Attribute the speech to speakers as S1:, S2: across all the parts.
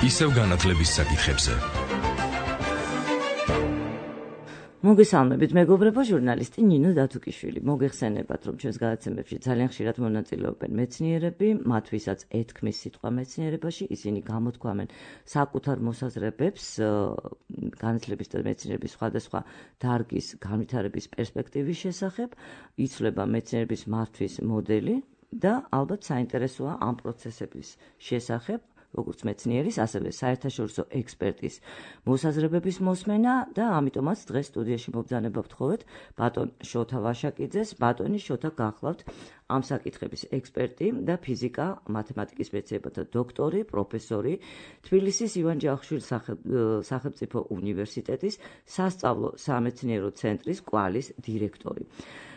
S1: ისევ განათლების საკითხებზე.
S2: მოგესალმებით, მეგობრებო, ჟურნალისტი ნინო დათუკიშვილი. მოგეხსენებათ, რომ ჩვენს გადაცემებში ძალიან ხშირად მონაწილეობენ მეცნიერები, მათ ვისაც ეთქმის სიტყვა მეცნიერებაში, ისინი გამოთქვამენ საკუთარ მოსაზრებებს განათლების და მეცნიერების სხვადასხვა დარგის განვითარების პერსპექტივის შესახებ, იცვლება მეცნიერების მართვის მოდელი და ალბათ საინტერესოა ამ პროცესების შესახებ, როგორც მეცნიერის, ასევე საერთაშორისო ექსპერტის მოსაზრებების მოსმენა და ამიტომაც დღეს სტუდიაში მობრძანება ვთხოვეთ ბატონ შოთა ვაშაკიძეს. ბატონი შოთა გახლავთ ამ საკითხების ექსპერტი და ფიზიკა, მათემატიკის მეცნიერებათა დოქტორი, პროფესორი, თბილისის ივან ჯავახიშვილის სახელმწიფო უნივერსიტეტის სასწავლო სამეცნიერო ცენტრის კვალის დირექტორი.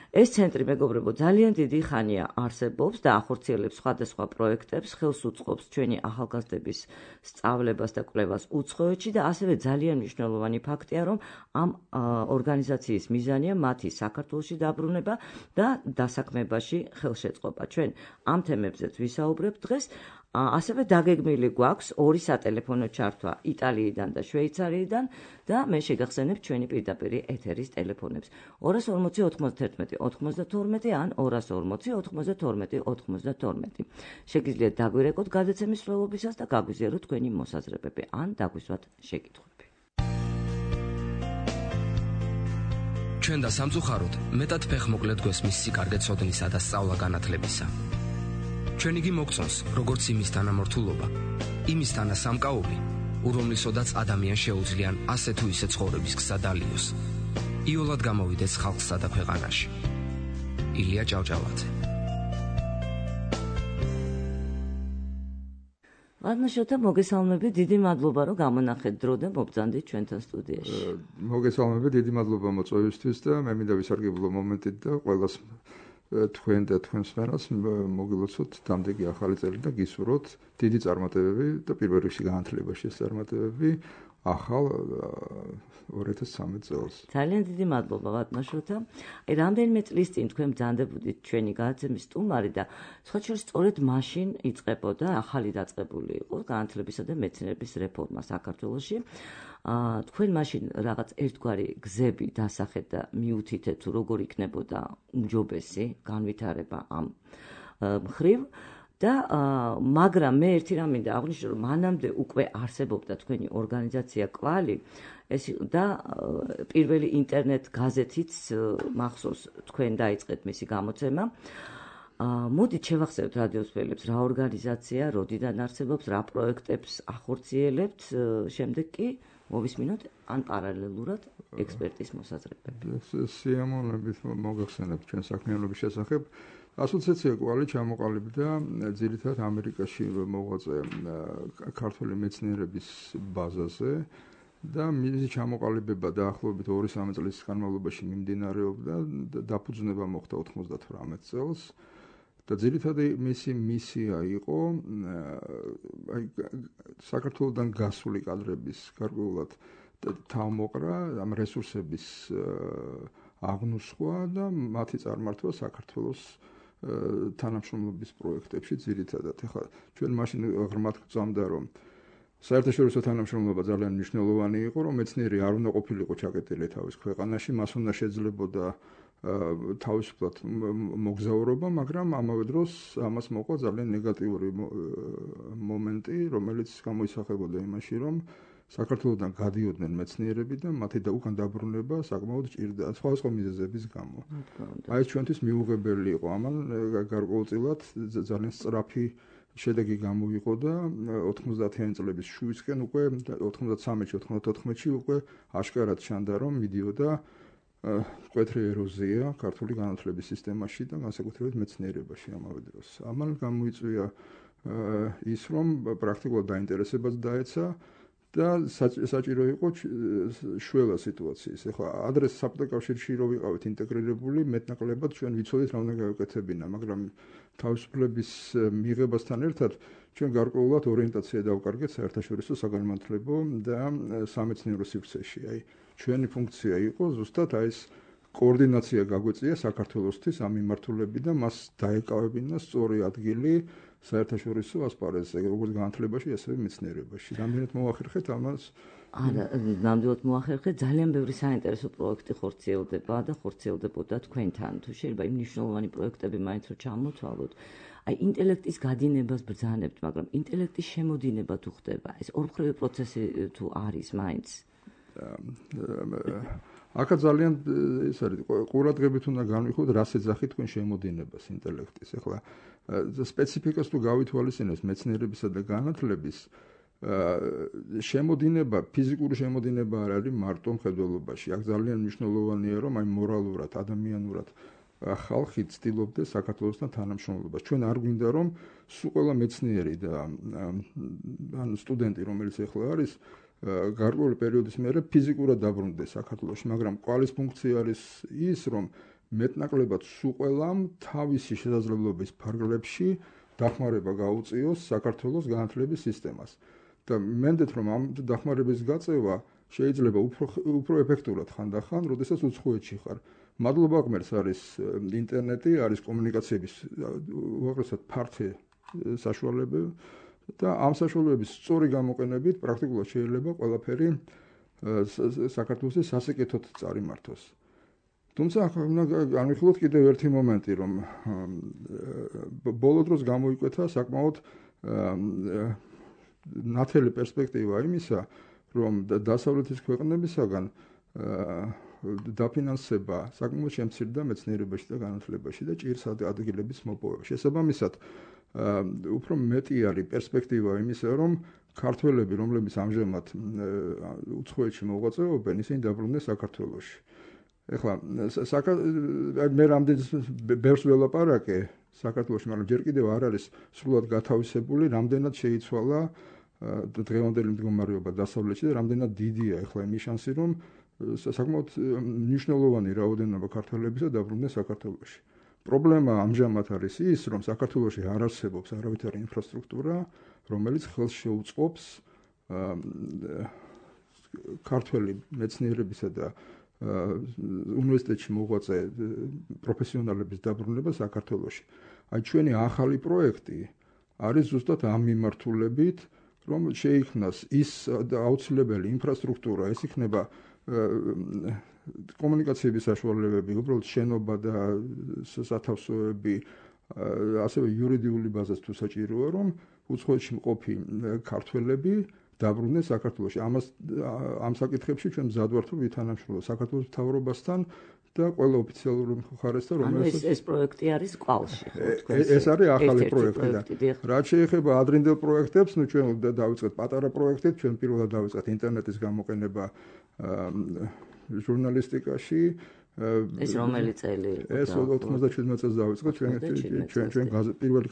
S2: ეს ცენტრი, მეგობრებო, ძალიან დიდი ხანია არსებობს და ახორციელებს სხვადასხვა პროექტებს, ხელს უწყობს ჩვენი ახალგაზრდების სწავლებას და კვლევას უცხოეთში და ასევე ძალიან მნიშვნელოვანი ფაქტია, რომ ამ ორგანიზაციის მიზანია მათი საქართველოში დაბრუნება და დასაქმებაში ხელშეწყობა. ჩვენ ამ თემებზეც ვისაუბრებთ დღეს. ასევე დაგეგმილი გვაქვს ორი სატელეფონო ჩართვა იტალიიდან და შვეიცარიიდან და მე შეგახსენებ ჩვენი პირდაპირი ეთერის ტელეფონებს 240 91 92 ან 240 92 92. შეგიძლიათ დაგვირეკოთ გადაცემის მსვლელობისას და გაგვიზიაროთ თქვენი მოსაზრებები ან დაგვისვათ შეკითხვები.
S3: ჩვენ და სამწუხაროდ მეტად ფეხმოკლედ გვესმის სიკარგე ცოდნისა და სწავლა განათლებისა. ჩვენ იგი მოგწონს, როგორც იმის თანამორთულობა, იმის თანასამკაობი, რომლისოდაც ადამიანს შეუძლიან ასე თუ ისე ცხოვრების გზა დალიოს. იოლად გამოვიდეს ხალხსა და ქვეყანაში. ილია ჭავჭავაძე.
S2: ბატონ შოთა, მოგესალმებით, დიდი მადლობა, რომ გამონახეთ დრო და მობრძანდით ჩვენთან სტუდიაში.
S4: მოგესალმებით, დიდი მადლობა მოწვევისთვის და მე მინდა ვისარგებლო მომენტით და ყველას თქვენ და თქვენს ხარას მოგილოცოთ დამდეგი ახალი წელი და გისურვოთ დიდი წარმატებები და პირველ რიგში განათლებაში წარმატებები ახალ 2013 წელს.
S2: ძალიან დიდი მადლობა ბატონ შოთა. რამდენიმე წლის წინ თქვენ ბრძანდებოდით ჩვენი გადაცემის სტუმარი და სხვა შორის სწორედ მაშინ იწყებოდა ახალი დაწყებული იყო განათლებისა და მეცნიერების რეფორმა საქართველოში. თქვენ მაშინ რაღაც ერთგვარი გზები დასახეთ და მიუთითეთ თუ როგორ იქნებოდა უმჯობესი განვითარება ამ მხრივ და მაგრამ მე ერთი რამ მინდა აღვნიშნო, რომ მანამდე უკვე არსებობდა თქვენი ორგანიზაცია კვალი და პირველი ინტერნეტ გაზეთიც მახსოვს თქვენ დაიწყეთ მისი გამოცემა. მოდით შევახსენოთ რადიოს მშობლებს რა ორგანიზაცია, როდიდან არსებობს, რა პროექტებს ახორციელებთ, შემდეგ კი მოვისმინოთ ან პარალელურად ექსპერტის მოსაზრებები.
S4: სიამოვნებით მოგახსენებთ ჩვენ საქმიანობის შესახებ. ასოციაცია კვალი ჩამოყალიბდა ძირითადად ამერიკაში მოღვაწე ქართველი მეცნიერების ბაზაზე და მისი ჩამოყალიბება დაახლოებით 2-3 წლის განმავლობაში მიმდინარეობდა და დაფუძნება მოხდა 98 წელს. და ძირითადი მისი მისია იყო საქართველოსთან გასული კადრების გარკვეულად თავმოყრა, ამ რესურსების აღნუსხვა და მათი წარმართვა საქართველოს თანამშრომლობის პროექტებში ძირითადად. ეხლა ჩვენ მაშინ ღრმად გვწამდა, რომ საერთაშორისო თანამშრომლობა ძალიან მნიშვნელოვანი იყო, რომ მეცნიერი არ უნდა ყოფილიყო ჩაკეტილი თავის ქვეყანაში, მას უნდა შეძლებოდა თავისუფლად მოგზაურობა, მაგრამ ამავე დროს ამას მოყვა ძალიან ნეგატიური მომენტი, რომელიც გამოისახებოდა იმაში, რომ საქართველოსთან გადიოდნენ მეცნიერები და მათი უკან დაბრუნება საკმაოდ ჭირდა სხვადასხვა მიზეზების გამო. აი ეს ჩვენთვის მიუღებელი იყო, ამან გარკვეულწილად ძალიან სწრაფი შედეგი გამოიყო და 90-იანი წლების შუისკენ უკვე 93-94-ში უკვე აშკარად ჩანდა, რომ მიდიოდა მკვეთრი ეროზია ქართული განათლების სისტემაში და განსაკუთრებით მეცნიერებაში ამავე დროს. ამან გამოიწვია ის, რომ პრაქტიკულად დაინტერესებაც დაეცა და საჭირო იყო შველა სიტუაციის. ეხლა ადრეს საბჭოთა კავშირში რო ვიყავით ინტეგრირებული, მეტნაკლებად ჩვენ ვიცოდით რა უნდა გავაკეთებინა, მაგრამ თავისუფლების მიღებასთან ერთად ჩვენ გარკვეულად ორიენტაცია დავკარგეთ საერთაშორისო საგანმანათლებლო და სამეცნიერო სივრცეში. აი ჩვენი ფუნქცია იყო ზუსტად აი ეს კოორდინაცია გაგვეწია საქართველოსთვის ამ მიმართულებით და მას დაეკავებინა სწორი ადგილი საერთაშორისო ასპარეზზე, როგორც განათლებაში, ასევე მეცნიერებაში. რამდენად მოახერხეთ ამას?
S2: არა, ნამდვილად მოახერხეთ, ძალიან ბევრი საინტერესო პროექტი ხორციელდება და ხორციელდებოდა თქვენთან. თუ შეიძლება იმ მნიშვნელოვანი პროექტები მაინც რომ ჩამოთვალოთ, აი ინტელექტის გადინებას ბრძანებთ, მაგრამ ინტელექტის შემოდინება თუ ხდება, ეს ორმხრივი პროცესი თუ არის მაინც.
S4: აქა ძალიან ეს არის ყურადღებით უნდა განვიხილოთ რას ეძახით თქვენ შემოდინებას ინტელექტის. ეხლა სპეციფიკას თუ გავითვალისწინებთ მეცნიერებისა და განათლების შემოდინება, ფიზიკური შემოდინება არ არის მარტო მხედველობაში. აქ ძალიან მნიშვნელოვანია, რომ აი მორალურად, ადამიანურად ხალხი ცდილობდა საქართველოსთან თანამშრომლობას. ჩვენ არ გვინდა, რომ სულ ყველა მეცნიერი და ან სტუდენტი, რომელიც ეხლა არის, გარკვეული პერიოდის მერე ფიზიკურად დაბრუნდეს საქართველოში, მაგრამ კვალის ფუნქცია არის ის, რომ მეტნაკლებად სულ ყველამ თავისი შესაძლებლობის ფარგლებში დახმარება გაუწიოს საქართველოს განათლების სისტემას. და მენდეთ რომ ამ დახმარების გაწევა შეიძლება უფრო ეფექტურად ხანდახან, როდესაც უცხოეთში ხარ. მადლობა ღმერთს არის ინტერნეტი, არის კომუნიკაციების უაღრესად ფართე საშუალებები და ამ საშუალებების სწორი გამოყენებით პრაქტიკულად შეიძლება ყველაფერი საქართველოს სასიკეთოდ წარიმართოს. თუმცა უნდა განვიხილოთ კიდევ ერთი მომენტი, რომ ბოლო დროს გამოიკვეთა საკმაოდ ნათელი პერსპექტივა იმისა, რომ დასავლეთის ქვეყნებისაგან დაფინანსება საკმაოდ შემცირდა მეცნიერებაში და განათლებაში და ჭირს ადგილების მოპოვება. შესაბამისად, უფრო მეტი არის პერსპექტივა იმისა, რომ ქართველები, რომლებიც ამჟამად უცხოეთში მოღვაწეობენ, ისინი დაბრუნდნენ საქართველოში. ეხლა მე რამდენიც ბევრს ველაპარაკე საქართველოში, მაგრამ ჯერ კიდევ არ არის სრულად გათავისებული, რამდენად შეიცვალა დღევანდელი მდგომარეობა დასავლეთში და რამდენად დიდია ეხლა იმის შანსი, რომ საკმაოდ მნიშვნელოვანი რაოდენობა ქართველებისა დაბრუნდნენ საქართველოში. პრობლემა ამჟამად არის ის, რომ საქართველოში არ არსებობს არავითარი ინფრასტრუქტურა, რომელიც ხელს შეუწყობს ქართველი მეცნიერებისა და უნივერსიტეტში მოღვაწე პროფესიონალების დაბრუნება საქართველოში. აი ჩვენი ახალი პროექტი არის ზუსტად ამ მიმართულებით, რომ შეიქმნას ის აუცილებელი ინფრასტრუქტურა, ეს იქნება კომუნიკაციების საშუალებები, უბრალოდ შენობა და სათავსოები, ასევე იურიდიული ბაზაც თუ საჭიროა, რომ უცხოეთში მყოფი ქართველები დაბრუნდნენ საქართველოში. ამ საკითხებში ჩვენ მზად ვართ რომ ვითანამშრომლოთ საქართველოს მთავრობასთან და ყველა ოფიციალური მხარესთან,
S2: რომელიც ეს პროექტი არის კვალში, ხო?
S4: ეს არის ახალი პროექტი და რაც შეეხება ადრინდელ პროექტებს, ნუ ჩვენ დავიწყეთ პატარა პროექტით, ჩვენ პირველად დავიწყეთ ინტერნეტის გამოყენება ჟურნალისტიკაში.
S2: ეს რომელი წელი იყო?
S4: ეს 97 წელს დავიწყეთ ჩვენ პირველი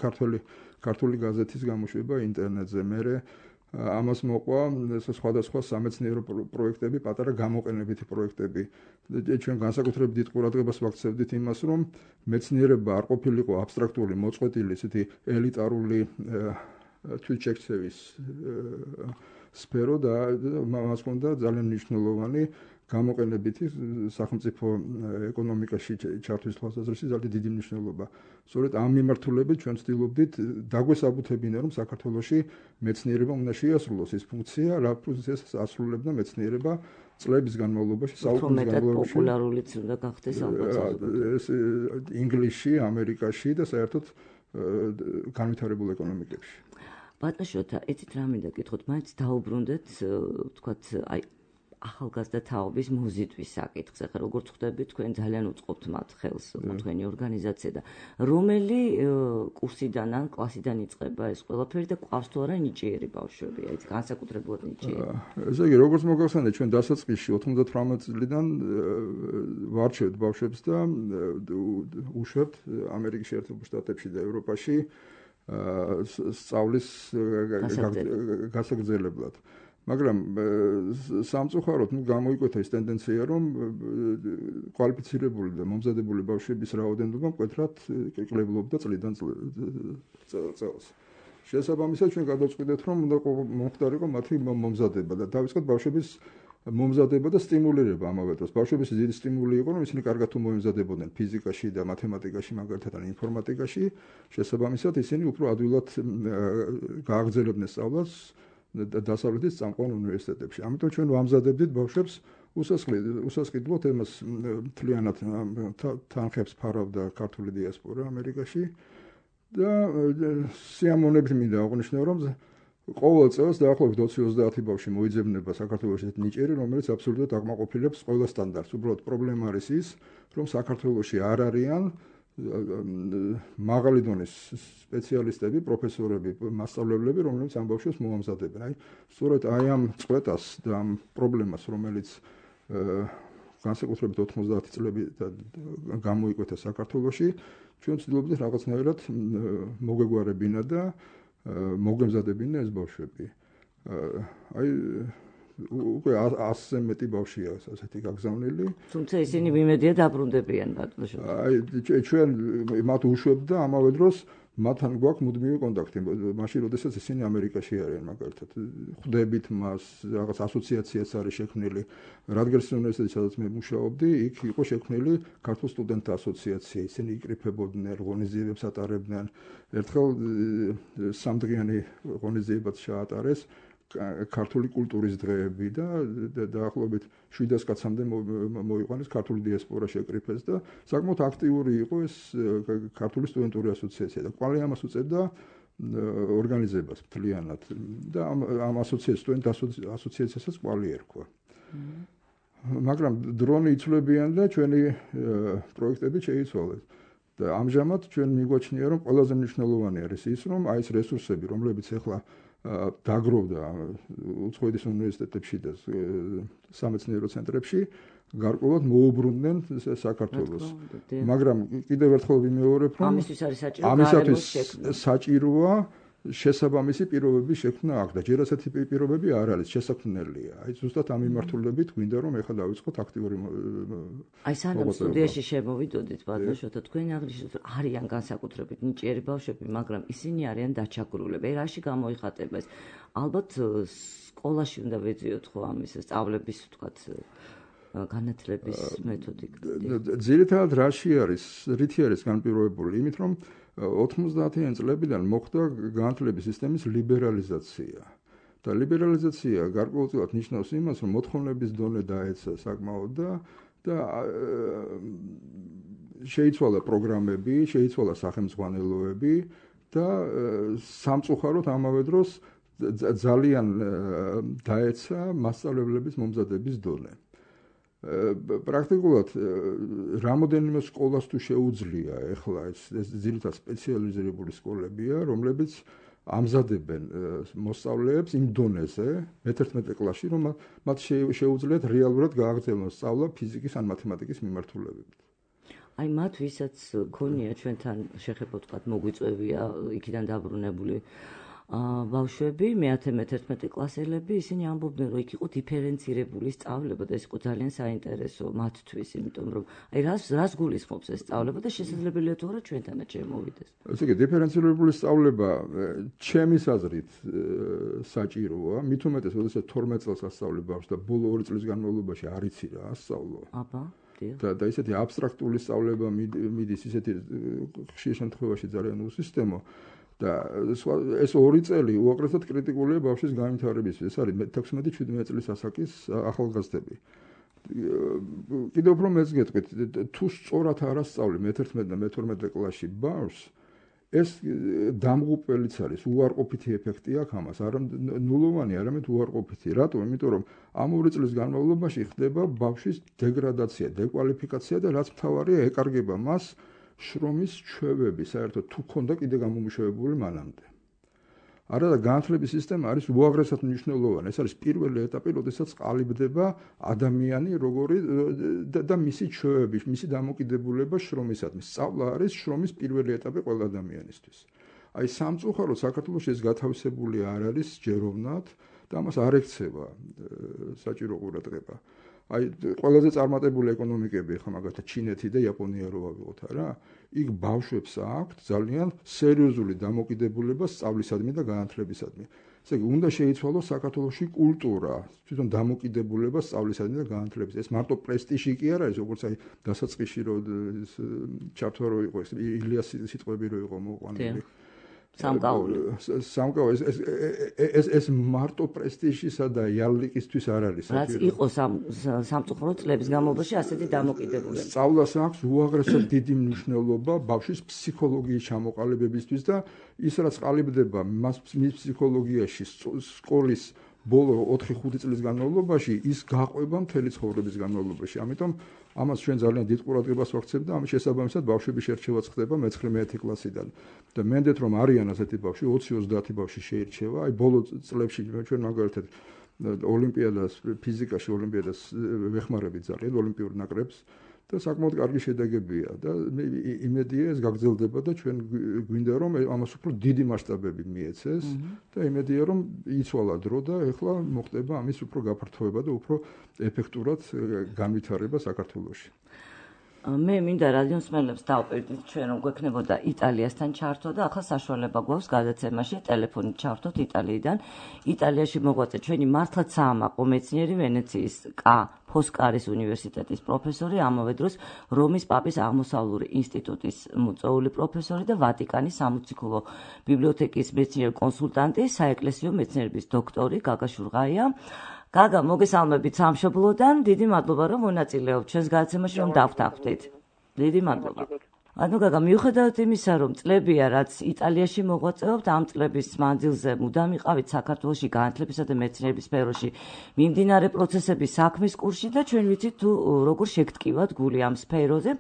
S4: ქართული გაზეთის გამოშვება ინტერნეტზე. მერე ამას მოყვა სხვადასხვა სამეცნიერო პროექტები, პატარა გამოყენებითი პროექტები. ჩვენ განსაკუთრებით დიდ ყურადღებას ვაქცევდით იმას, რომ მეცნიერება არ ყოფილიყო აბსტრაქტული, მოწყვეტილი, ესეთი ელიტარული თვითშექცევის სფერო და მას ჰქონდა ძალიან მნიშვნელოვანი გამოყენებითი სახელმწიფო ეკონომიკაში ჩართვის თვალსაზრისით ძალიან დიდი მნიშვნელობა. სწორედ ამ მიმართულებით ჩვენ ვცდილობდით დაგვესაბუთებინა, რომ საქართველოში მეცნიერება უნდა შეასრულოს ის ფუნქცია, რა ფუნქციას ასრულებდა მეცნიერება წლების განმავლობაში, საუკუნის განმავლობაში.
S2: პოპულარულიც უნდა გახდეს ალბათ.
S4: ეს ინგლისში, ამერიკაში და საერთოდ განვითარებულ ეკონომიკებში.
S2: ბატონ შოთა, იცით რა მინდა გითხოთ, მაინც დაუბრუნდეთ, ვთქვათ, აი ახალგაზრდა თაობის მოზიდვის საკითხზე. ხა როგორც ხვდები, თქვენ ძალიან უწყობთ მათ ხელს, თქვენი ორგანიზაცია და რომელი კურსიდან ან კლასიდან იწყება ეს ყველაფერი და ყავს თუ არა ნიჭიერი ბავშვები, აი განსაკუთრებულად ნიჭიერი.
S4: ესე იგი, როგორც მოგახსენეთ, ჩვენ დასაწყისში 98 წლიდან ვარჩევთ ბავშვებს და უშვებთ ამერიკის შეერთებულ შტატებში და ევროპაში სწავლის გასაგრძელებლად. მაგრამ სამწუხაროდ გამოიკვეთა ის ტენდენცია, რომ კვალიფიცირებული და მომზადებული ბავშვების რაოდენობა მკვეთრად კლებულობდა წლიდან წელს. შესაბამისად ჩვენ გადავწყვიტეთ, რომ უნდა მომხდარიყო მათი მომზადება და დავიწყეთ ბავშვების მომზადება და სტიმულირება ამავე დროს. ბავშვების დიდი სტიმული იყო, რომ ისინი კარგად თუ მოემზადებოდნენ ფიზიკაში და მათემატიკაში, მაგალითად ან ინფორმატიკაში, შესაბამისად ისინი უფრო ადვილად გააგრძელებდნენ სწავლას დასავლეთის წამყვან უნივერსიტეტებში. ამიტომ ჩვენ ვამზადებდით ბავშვებს უსასყიდლოდ იმას მთლიანად თანხებს ფარავდა ქართული დიასპორა ამერიკაში და სიამოვნებით მინდა აღვნიშნო, რომ ყოველ წელს დაახლოებით 20-30 ბავშვი მოიძებნება საქართველოში ნიჭიერი, რომელიც აბსოლუტურად აკმაყოფილებს ყველა სტანდარტს. უბრალოდ პრობლემა არის ის, რომ საქართველოში არ არიან მაღალი დონის სპეციალისტები, პროფესორები, მასწავლებლები, რომლებიც ამ ბავშვებს მოამზადებენ. სწორედ ამ წყვეტას და ამ პრობლემას, რომელიც განსაკუთრებით 90 წლები გამოიკვეთა საქართველოში, ჩვენ ვცდილობდით რაღაცნაირად მოგვეგვარებინა და მოგემზადებინა ეს ბავშვები. უკვე 100-ზე მეტი ბავშვია ასეთი გაგზავნილი.
S2: თუმცა ისინი მიმედია დაბრუნდებიან ბატონო.
S4: ჩვენ მათ უშვებთ და ამავე დროს მათთან გვაქვს მუდმივი კონტაქტი. მაშინ როდესაც ისინი ამერიკაში არიან, მაგალითად, ხვდებით მას, რაღაც ასოციაციაც არის შექმნილი. რადგენის უნივერსიტეტში, სადაც მე მუშაობდი, იქ იყო შექმნილი ქართულ სტუდენტთა ასოციაცია. ისინი იკრიფებოდნენ, ღონისძიებებს ატარებდნენ. ერთხელ სამდღიანი ღონისძიებაც ჩაატარეს ქართული კულტურის დღეები და დაახლოებით 700 კაცამდე მოიყვანეს ქართული დიასპორა შეკრიფეს და საკმაოდ აქტიური იყო ეს ქართული სტუდენტური ასოციაცია და კვალე ამას უწევდა ორგანიზებას მთლიანად და ამ სტუდენტთა ასოციაციასაც კვალე ერქვა. მაგრამ დრონი იცვლებიან და ჩვენი პროექტები შეიცვალეს. და ამჟამად ჩვენ მიგვაჩნია, რომ ყველაზე მნიშვნელოვანი არის ის, რომ აი ეს რესურსები, რომლებიც ახლა დაგროვდა უცხოეთის უნივერსიტეტებში და სამეცნიერო ცენტრებში, გარკვეულად მოუბრუნდნენ საქართველოს. მაგრამ კიდევ ერთხელ ვიმეორებ, რომ ამისათვის საჭიროა შესაბამისი პირობების შექმნა აქ და ჯერ ასეთი პირობები არ არის, შესაქმნელია. აი ზუსტად ამ მიმართულებით გვინდა რომ ეხლა დავიწყოთ აქტიური
S2: აი სანამ სტუდიაში შემოვიდოდით ბატონო შოთა თქვენ აღნიშნეთ რომ არიან განსაკუთრებით ნიჭიერი ბავშვები, მაგრამ ისინი არიან დაჩაგრულები. რაში გამოიხატება ეს? ალბათ სკოლაში უნდა ვეძიოთ ხო ამის სწავლების ვთქვათ განათლების მეთოდიკა.
S4: ძირითადად რაში არის, რითი არის განპირობებული? იმით რომ 90-იან წლებიდან მოხდა განათლების სისტემის ლიბერალიზაცია. და ლიბერალიზაცია გარკვეულწილად ნიშნავს იმას, რომ მოთხოვნების დონე დაეცა საკმაოდ და შეიცვალა პროგრამები, შეიცვალა სახელმძღვანელოები და სამწუხაროდ ამავე დროს ძალიან დაეცა მასწავლებლების მომზადების დონე. პრაქტიკულად რამოდენიმე სკოლას თუ შეუძლია ეხლა ეს ძირითადად სპეციალიზირებული სკოლებია, რომლებიც ამზადებენ მოსწავლეებს იმ დონეზე მე-11 კლასში, რომ მათ შეუძლიათ რეალურად გააგრძელონ სწავლა ფიზიკის ან მათემატიკის მიმართულებებით.
S2: აი მათ ვისაც ქონია ჩვენთან შეხება ვთქვათ მოგვიწევია იქიდან დაბრუნებული ბავშვები, მე-11 კლასელები, ისინი ამბობდნენ, რომ იქ იყო დიფერენცირებული სწავლება და ეს იყო ძალიან საინტერესო მათთვის, იმიტომ რომ აი რას გულისხმობს ეს სწავლება და შესაძლებელია თუ არა ჩვენთანაც შემოვიდეს.
S4: ესე იგი, დიფერენცირებული სწავლება ჩემის აზრით საჭიროა, მით უმეტეს, როდესაც 12 წელს ასწავლე ბავშვს და ბოლო 2 წლის განმავლობაში არ იცი რა ასწავლო.
S2: აბა,
S4: და ისეთი აბსტრაქტული სწავლება მიდის ისეთი ხშირ შემთხვევაში ძალიან უსისტემო. და ეს 2 წელი უაღრესად კრიტიკულია ბავშვის განვითარებისთვის. ეს არის 16-17 წლის ასაკის ახალგაზრდები. კიდევ უფრო მეც გეტყვით, თუ სწორად არ ასწავლი მე-11 და მე-12 კლასში ბავშვს, ეს დამღუპველიც არის, უარყოფითი ეფექტი აქვს ამას, არა ნულოვანი, არამედ უარყოფითი. რატო? იმიტომ რომ ამ 2 წლის განმავლობაში ხდება ბავშვის დეგრადაცია, დეკვალიფიკაცია და რაც მთავარია, ეკარგება მას შრომის ჩვევები, საერთოდ თუ ქონდა კიდე გამომუშავებული მანამდე. არა და განათლების სისტემა არის უაღრესად მნიშვნელოვანი. ეს არის პირველი ეტაპი, როდესაც ყალიბდება ადამიანი, როგორი და მისი ჩვევები, მისი დამოკიდებულება შრომისადმი. სწავლა არის შრომის პირველი ეტაპი ყველა ადამიანისთვის. აი სამწუხაროდ საქართველოში ეს გათავისებული არ არის ჯეროვნად და ამას არ ექცევა საჭირო ყურადღება. აი ყველაზე წარმატებული ეკონომიკები ხა მაგალითად ჩინეთი და იაპონია რო ვავიღოთ არა, იქ ბავშვებს აქვთ ძალიან სერიოზული დამოკიდებულება სწავლისადმი და განათლებისადმი. ესე იგი, უნდა შეიცვალოს საქართველოში კულტურა, თვითონ დამოკიდებულება სწავლისადმი და განათლების. ეს მარტო პრესტიჟი კი არ არის, როგორც აი დასაწყისში რო ჩართვა რო იყო ეს ილიას სიტყვები რო იყო მოყვანილი. სამკაული ეს მარტო პრესტიჟისა და იალიკისთვის არ არის.
S2: რაც იყო სამწუხარო წლების განმავლობაში ასეთი დამოკიდებულება.
S4: სწავლას აქვს უაღრესად დიდი მნიშვნელობა ბავშვის ფსიქოლოგიის ჩამოყალიბებისთვის და ის რაც ყალიბდება მის ფსიქოლოგიაში სკოლის ბოლო 4-5 წლის განმავლობაში ის გაყვება მთელი ცხოვრების განმავლობაში. ამიტომ ამას ჩვენ ძალიან დიდ ყურადღებას ვაქცევთ და ამის შესაბამისად ბავშვების შერჩევაც ხდება მე-9 კლასიდან. და მენდეთ რომ არიან ასეთი ბავშვი 20-30 ბავშვი შეირჩევა. აი ბოლო წლებში ჩვენ მაგალითად ოლიმპიადას ფიზიკაში ოლიმპიადას ვეხმარებით ძალიან ოლიმპიურ ნაკრებს და საკმაოდ კარგი შედეგებია და იმედია ეს გაგრძელდება და ჩვენ გვინდა რომ ამას უფრო დიდი მასშტაბები მიეცეს და იმედია რომ იცვალა დრო და ეხლა მოხდება ამის უფრო გაფართოება და უფრო ეფექტურად განვითარება საქართველოში.
S2: მე მინდა რადიოსმენელებს დავპირდით ჩვენ რომ გვექნებოდა იტალიასთან ჩართვა და ახლა საშუალება გვაქვს გადაცემაში ტელეფონით ჩართოთ იტალიიდან. იტალიაში მოღვაწე ჩვენი მართლაც საამაყო მეცნიერი ვენეციის ფოსკარის უნივერსიტეტის პროფესორი, ამავე დროს რომის პაპის აღმოსავლური ინსტიტუტის მოწვეული პროფესორი და ვატიკანის სამოციქულო ბიბლიოთეკის მეცნიერი კონსულტანტი, საეკლესიო მეცნიერების დოქტორი გაგა შურღაია. გაგა, მოგესალმებით სამშობლოდან. დიდი მადლობა რომ მონაწილეობთ ჩვენს გადაცემაში, რომ დავთანხმდით. დიდი მადლობა. ანუ გაგა, მიუხედავად იმისა, რომ წლებია, რაც იტალიაში მოღვაწეობთ, ამ წლების მანძილზე მუდამ იყავით საქართველოში განათლებისა და მეცნიერების სფეროში მიმდინარე პროცესების საქმის კურსში და ჩვენ ვიცით თუ როგორ შეგტკივათ გული ამ სფეროზე.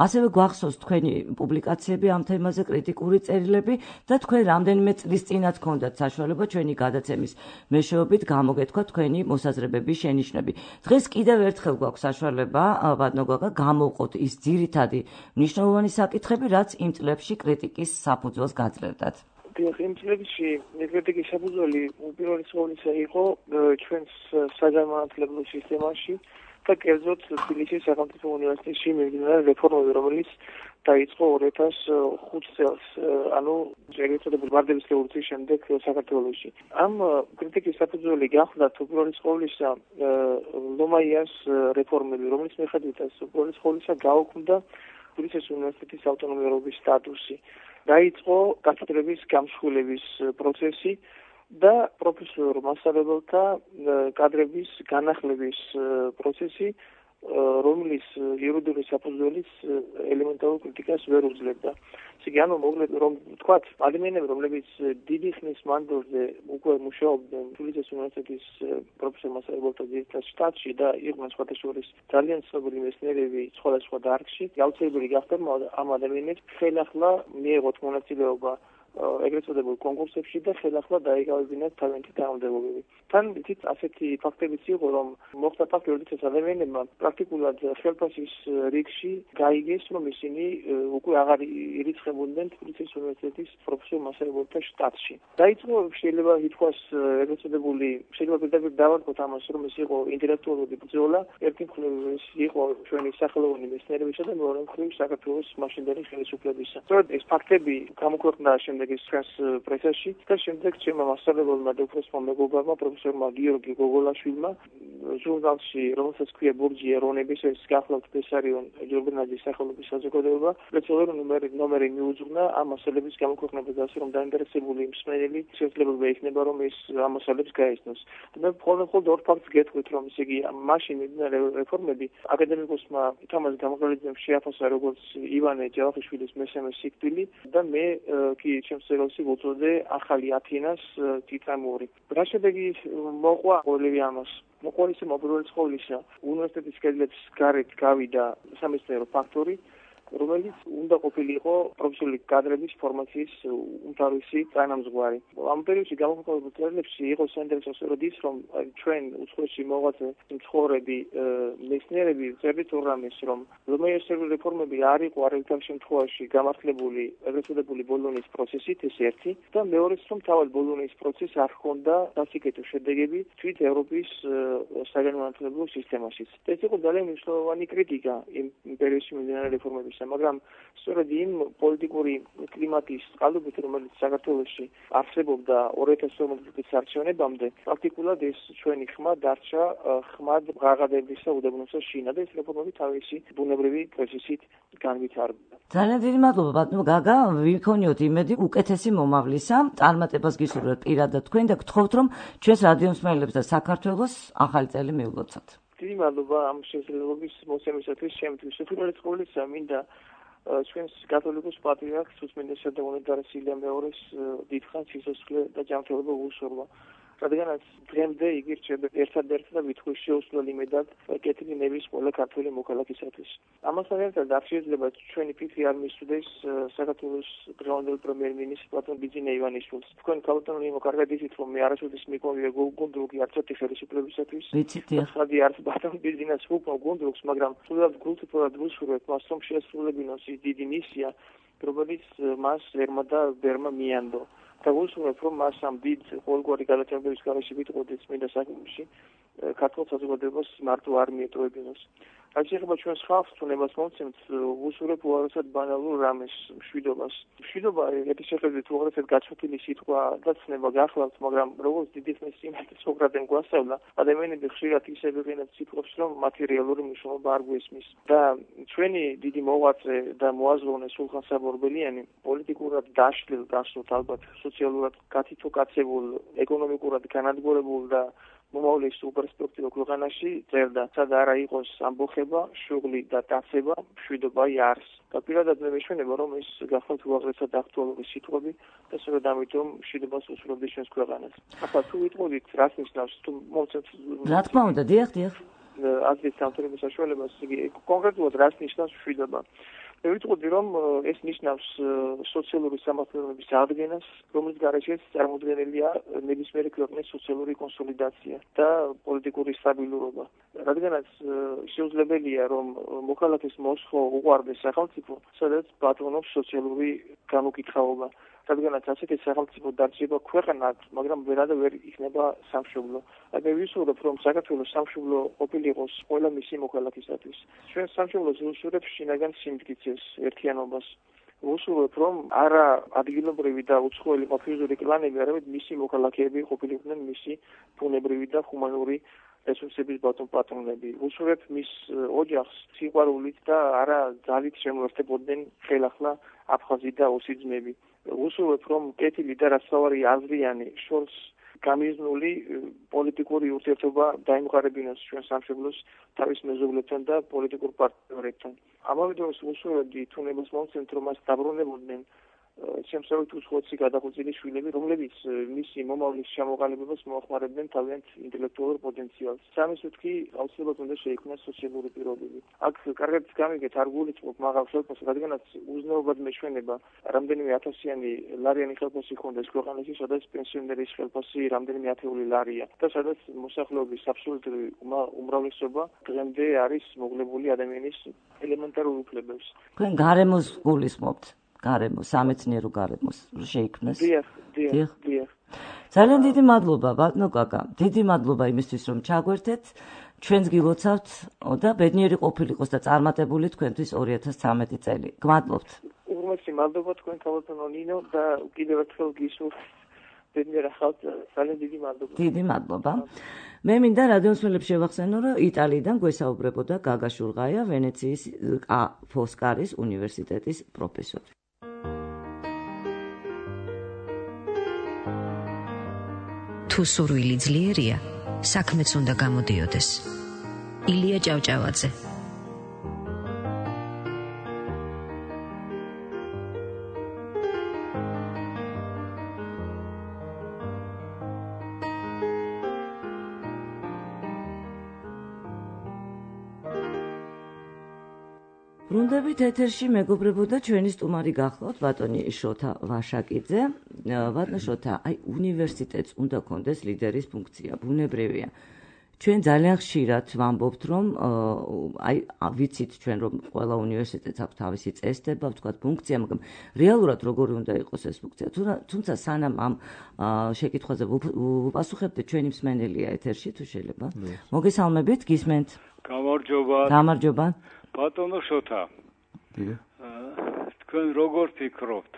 S2: ასევე გვახსოვს თქვენი პუბლიკაციები ამ თემაზე, კრიტიკული წერილები და თქვენ რამდენიმე წლის წინათ გქონდათ საშუალება ჩვენი გადაცემის მეშვეობით გამოგეთქვათ თქვენი მოსაზრებები, შენიშვნები. დღეს კიდევ ერთხელ გვაქვს საშუალება, ბატონო გაგა, გამოვყოთ ის ძირითადი მნიშვნელოვანი საკითხები, რაც იმ წლებში კრიტიკის საფუძველს გაძლევდათ.
S5: იმ წლებში კრიტიკის საფუძველი უპირველეს ყოვლისა იყო ჩვენს საგანმანათლებლო სისტემაში და კერძოდ თბილისის სახელმწიფო უნივერსიტეტში მიმდინარე რეფორმები, რომელიც დაიწყო 2005 წელს, ანუ ეგრეთ წოდებული ვარდების რევოლუციის შემდეგ საქართველოში. ამ კრიტიკის საფუძველი გახლდათ უპირველეს ყოვლისა ლომაიას რეფორმები, რომელიც მიხედვითაც უპირველეს ყოვლისა გაუქმდა თბილისის უნივერსიტეტის ავტონომიურობის სტატუსი. დაიწყო კათედრების გამსხვილების პროცესი და პროფესორ მასწავლებელთა კადრების განახლების პროცესი, რომლის იურიდიული საფუძველის ელემენტარულ კრიტიკას ვერ უძლებდა. ისე ანუ მოკლედ რომ ვთქვათ, ადამიანები, რომლებიც დიდი ხნის მანძილზე უკვე მუშაობდნენ თბილისის უნივერსიტეტის პროფესორ მასწავლებელთა ძირითად შტატში და იყვნენ სხვათა შორის ძალიან ცნობილი მეცნიერები სხვადასხვა დარგში, აუცილებელი გახდა ამ ადამიანებს ხელახლა მიეღოთ მონაწილეობა ეგრეთ წოდებულ კონკურსებში და ხელახლა დაიკავებინათ თავიანთი თანამდებობები. თან თვით ასეთი ფაქტებიც იყო, რომ მოხდა ფაქტი, როდესაც ადამიანებმა პრაქტიკულად ხელფასის რიგში გაიგეს, რომ ისინი უკვე აღარ ირიცხებოდნენ თბილისის უნივერსიტეტის პროფესორ მასწავლებელთა შტატში. დაიწყო შეიძლება ითქვას ეგრეთ წოდებული, შეიძლება პირდაპირ დავარქოთ ამას, რომ ეს იყო ინტელექტუალური ბრძოლა, ერთი მხრივ ეს იყო ჩვენი სახელოვანი მეცნიერებისა და მეორე მხრივ საქართველოს მაშინდელი ხელისუფლებისა. სწორედ ეს ფაქტები გამოქვეყნდა შემდეგ ეს პრესაში და შემდეგ ჩემმა მასწავლებელმა და უფროსმა მეგობარმა პროფესორმა გიორგი გოგოლაშვილმა ჟურნალში, რომელსაც ქვია ბურჯი ეროვნების, ეს გახლავთ ბესარიონ ჯურნალის სახელობის საზოგადოება, სპეციალური ნომერი მიუძღვნა ამ მასალების გამოქვეყნებას, ასე რომ დაინტერესებული მსმენელი შესაძლებელი იქნება, რომ ეს ამ მასალებს გაეცნოს. და მხოლოდ ორ ფაქტს გეტყვით, რომ ისე იგი მაშინ მიმდინარე რეფორმები აკადემიკოსმა თამაზ გამოგრალიძემ შეაფასა როგორც ივანე ჯავახიშვილის მესამე სიკვდილი და მე კი შემსწრელში ვუწოდე ახალი ათინას ტიტამური. რა შედეგი მოყვა ყოველივე ამას? მოყვა ისე უპირველეს ყოვლისა უნივერსიტეტის კედლებს გარეთ გავიდა სამეცნიერო ფაქტორი, რომელიც უნდა ყოფილიყო პროფესიული კადრების ფორმაციის უმთავრესი თანამძღვარი. ამ პერიოდში გამოქვეყნებულ წერილებში იყო საინტერესო სწორედ ის, რომ ჩვენ უცხოეთში მოღვაწე მცხოვრები მეცნიერები წერდით ორ რამეს, რომ ლომაიას რეფორმები არ იყო არაერთგან შემთხვევაში გამართლებული ეგრეთ წოდებული ბოლონის პროცესით, ეს ერთი, და მეორეც, რომ თავად ბოლონის პროცესს არ ჰქონდა სასიკეთო შედეგები თვით ევროპის საგანმანათლებლო სისტემაშიც. ეს იყო ძალიან მნიშვნელოვანი კრიტიკა იმ პერიოდში მიმდინარე რეფორმების. მაგრამ სწორედ იმ პოლიტიკური კლიმატის წყალობით, რომელიც საქართველოში არსებობდა 2012 წლის არჩევნებამდე, პრაქტიკულად ეს ჩვენი ხმა დარჩა ხმად ღაღადებისა უდაბნოსა შინა და ეს რეფორმები თავისი ბუნებრივი პროცესით განვითარდა.
S2: ძალიან დიდი მადლობა ბატონო გაგა, ვიქონიოთ იმედი უკეთესი მომავლისა, წარმატებას გისურვებთ პირადად თქვენ და გთხოვთ რომ ჩვენს რადიო მსმენელებს და საქართველოს ახალი წელი მიულოცოთ.
S5: დიდი მადლობა ამ შესაძლებლობის მოსემისათვის ჩემთვის. უპირველეს ყოვლისა მინდა ჩვენს კათოლიკოს პატრიარქს უსმენესა და უნეტარეს ილია მეორეს დიდხანს სიცოცხლე და ჯანმრთელობა უსურვა. რადგანაც დღემდე იგი რჩება ერთადერთი და ვითხოვის შეუცვლელი მედად კეთილი ნების ყველა ქართველი მოქალაქისათვის. ამასთან ერთად არ შეიძლება ჩვენი ფიქრი არ მისვდეს საქართველოს დღევანდელ პრემიერ-მინისტრ პლატონ ბიძინა ივანიშვილს. თქვენ ქალბატონო იმო კარგად იცით რომ მე არასოდეს მიკოვია გუნდრუკი არც ერთი ხელისუფლებისათვის. ხადი არც პლატონ ბიძინას უკმო გუნდრუკს, მაგრამ სულად გულწრფელად ვუსურვებთ მას რომ შეასრულებინოს ის დიდი მისია, რომელიც მას ერმა და ბერმა მიანდო. და ვუსურვებ რომ მას ამ დიდ ყოველგვარი გადაჭრების გარეშე ვიტყოდეს წმინდა საქმეში ქართულ საზოგადოებას მარტო არ მიეტოვებინოს. რაც შეეხება ჩვენს ხალხს, თუნებას მომცემთ, ვუსურვებ უარესად ბანალურ რამეს, მშვიდობას. მშვიდობა ერთის შეხედვით უარესად გაჩვენილი სიტყვა და ცნება გახლავთ, მაგრამ როგორც დიდი ხნის წინ სოკრატემ გვასწავლა, ადამიანები ხშირად ისე ვიყენებთ სიტყვებს, რომ მათი რეალური მნიშვნელობა არ გვესმის. და ჩვენი დიდი მოღვაწე და მოაზროვნე სულხან საბორბელიანი პოლიტიკურად დაშლილ, გასვლით ალბათ სოციალურად გათითო-კაცებულ, ეკონომიკურად განადგურებულ და მომავლის უპერსპექტივო ქვეყანაში წერდა, სად არა იყოს ამბოხება, შუღლი და დაცება, მშვიდობა არს. და პირადად მე მეშვენება, რომ ეს გახლავთ უაღრესად აქტუალური სიტყვები და სწორედ ამიტომ მშვიდობას უსურვებდი ჩვენს ქვეყანას. ახლა თუ ვიტყოდით, რას ნიშნავს, თუ მომცემთ
S2: რა თქმა უნდა, დიახ.
S5: აზრის სამთავრობო საშუალებას, იგი კონკრეტულად რას ნიშნავს მშვიდობა. მე ვიტყოდი, რომ ეს ნიშნავს სოციალური სამართლებების აღდგენას, რომლის გარეშეც წარმოდგენილია ნებისმიერი ქვეყნის სოციალური კონსოლიდაცია და პოლიტიკური სტაბილურობა. რადგანაც შეუძლებელია, რომ მოქალაქეს მოსხო უყვარდეს სახელმწიფო, სადაც ბატონობს სოციალური განუკითხაობა. რადგანაც ასეთი სახელმწიფო დარჩება ქვეყნად, მაგრამ ვერადა ვერ იქნება სამშობლო. მე ვისურვებ, რომ საქართველოს სამშობლო ყოფილიყოს ყველა მისი მოქალაქისათვის. ჩვენ სამშობლოს ვუსურვებ შინაგან სიმტკიცეს, ერთიანობას. ვუსურვებ, რომ არა ადგილობრივი და უცხოელი ყოფილიზური კლანები, არამედ მისი მოქალაქეები ყოფილიყვნენ მისი ბუნებრივი და ჰუმანური რესურსების ბატონ-პატრონები. ვუსურვებ მის ოჯახს სიყვარულით და არა ძალით შემოერთებოდნენ ხელახლა აფხაზი და ოსი ძმები. ვუსურვებ, რომ კეთილი და რასაوارი აზრიანი შორს გამიზნული პოლიტიკური ურთიერთობა დაიმყარებინოს ჩვენ სამშობლოს თავის მეზობლებთან და პოლიტიკურ პარტნიორებთან. ამავე დროს ვუსურვებდი თუნებას მომცემთ, რომ მას დაბრუნებოდნენ შემსავით უცხოეთში გადახვეწილი შვილები, რომლებიც მისი მომავლის ჩამოყალიბებას მოახმარებდნენ თავიანთ ინტელექტუალურ პოტენციალს. სამისოთ კი აუცილებლად უნდა შეიქმნას სოციალური პირობები. აქ კარგად გამიგეთ, არ გულისხმობ მაღალ ხელფასს, რადგანაც უზნეობად მეშვენება რამდენიმე ათასიანი ლარიანი ხელფასი ჰქონდეს ქვეყანაში, სადაც პენსიონერის ხელფასი რამდენიმე ათეული ლარია და სადაც მოსახლეობის აბსოლუტური უმრავლესობა დღემდე არის მოკლებული ადამიანის ელემენტარულ უფლებებს.
S2: თქვენ გარემოს გულისხმობთ? სამეცნიერო გარემოს შეიქმნეს.
S5: დიახ.
S2: ძალიან დიდი მადლობა ბატონო კაკა. დიდი მადლობა იმისთვის რომ ჩაგვერთეთ. ჩვენს გილოცავთ და ბედნიერი ყოფილიყოს და წარმატებული თქვენთვის 2013 წელი. გმადლობთ.
S5: უღრმესი მადლობა თქვენ ქალბატონო ნინო და კიდევ ერთხელ გისურვებთ ბედნიერ ახალ ძალიან დიდი მადლობა. დიდი
S2: მადლობა. მე მინდა რადიო მსმენელებს შევახსენო, რომ იტალიიდან გვესაუბრებოდა გაგა შურღაია, ვენეციის ფოსკარის უნივერსიტეტის პროფესორი.
S6: თუ სურვილი ძლიერია, საქმეც უნდა გამოდიოდეს. ილია ჭავჭავაძე.
S2: ბრუნდებით ეთერში მეგობრებოდა ჩვენი სტუმარი გახლავთ ბატონი შოთა ვაშაკიძე. ბატონო შოთა, უნივერსიტეტს უნდა კონდეს ლიდერის ფუნქცია, ბუნებრივია. ჩვენ ძალიან ხშირად ვამბობთ, რომ ვიცით ჩვენ რომ ყველა უნივერსიტეტს აქვს თავისი წესდება, ვთქვათ ფუნქცია, მაგრამ რეალურად როგორი უნდა იყოს ეს ფუნქცია? თუმცა სანამ ამ შეკითხვაზე ვუპასუხებთ, ჩვენი მსმენელია ეთერში, თუ შეიძლება. მოგესალმებით, გისმენთ?
S7: გამარჯობა.
S2: გამარჯობა.
S7: ბატონო შოთა, თქვენ როგორ ფიქრობთ,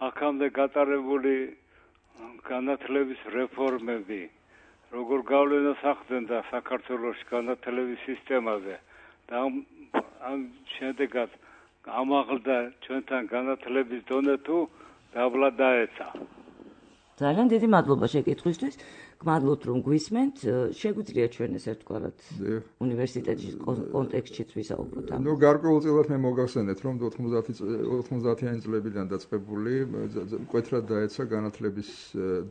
S7: აქამდე გატარებული განათლების რეფორმები როგორ გავლენას ახდენდა საქართველოს განათლების სისტემაზე და ამ შედეგად ამაღლდა ჩვენთან განათლების დონე თუ დაბლა დაეცა.
S2: ძალიან დიდი მადლობა შეკითხვისთვის. გმადლობთ რომ გვისმენთ. შეგვიძლია ჩვენ ეს ერთგვარად უნივერსიტეტის კონტექსტშიც ვისაუბროთ.
S4: გარკვეულწილად მე მოგახსენეთ რომ 90-იანი წლებიდან დაწყებული მკვეთრად დაეცა განათლების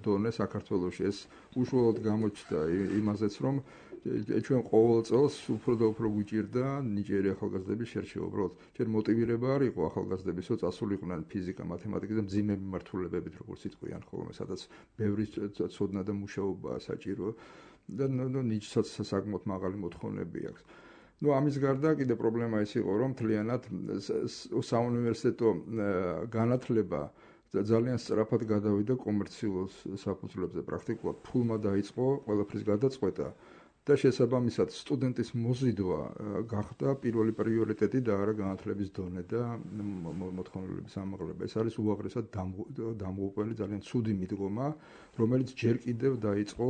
S4: დონე საქართველოში. ეს უშუალოდ გამოჩნდა იმაზეც რომ ჩვენ ყოველ წელს უფრო და უფრო გვიჭირდა ნიჭიერი ახალგაზრდების შერჩევა. უბრალოდ ჯერ მოტივირება არ იყო ახალგაზრდების, რომ წასულიყვნენ ფიზიკა, მათემატიკაზე მძიმე მიმართულებებით, როგორც იტყვიან ხოლმე, სადაც ბევრი ცოდნა და მუშაობაა საჭირო და ნიჭსაც საკმაოდ მაღალი მოთხოვნები აქვს. ამის გარდა კიდე პრობლემა ის იყო, რომ მთლიანად საუნივერსიტეტო განათლება ძალიან სწრაფად გადავიდა კომერციულ საფუძვლებზე. პრაქტიკულად ფულმა დაიწყო ყველაფრის გადაწყვეტა. და შესაბამისად სტუდენტის მოზიდვა გახდა პირველი პრიორიტეტი და არა განათლების დონე და მოთხოვნილების ამაღლება. ეს არის უაღრესად დამღუპველი ძალიან ცუდი მიდგომა, რომელიც ჯერ კიდევ დაიწყო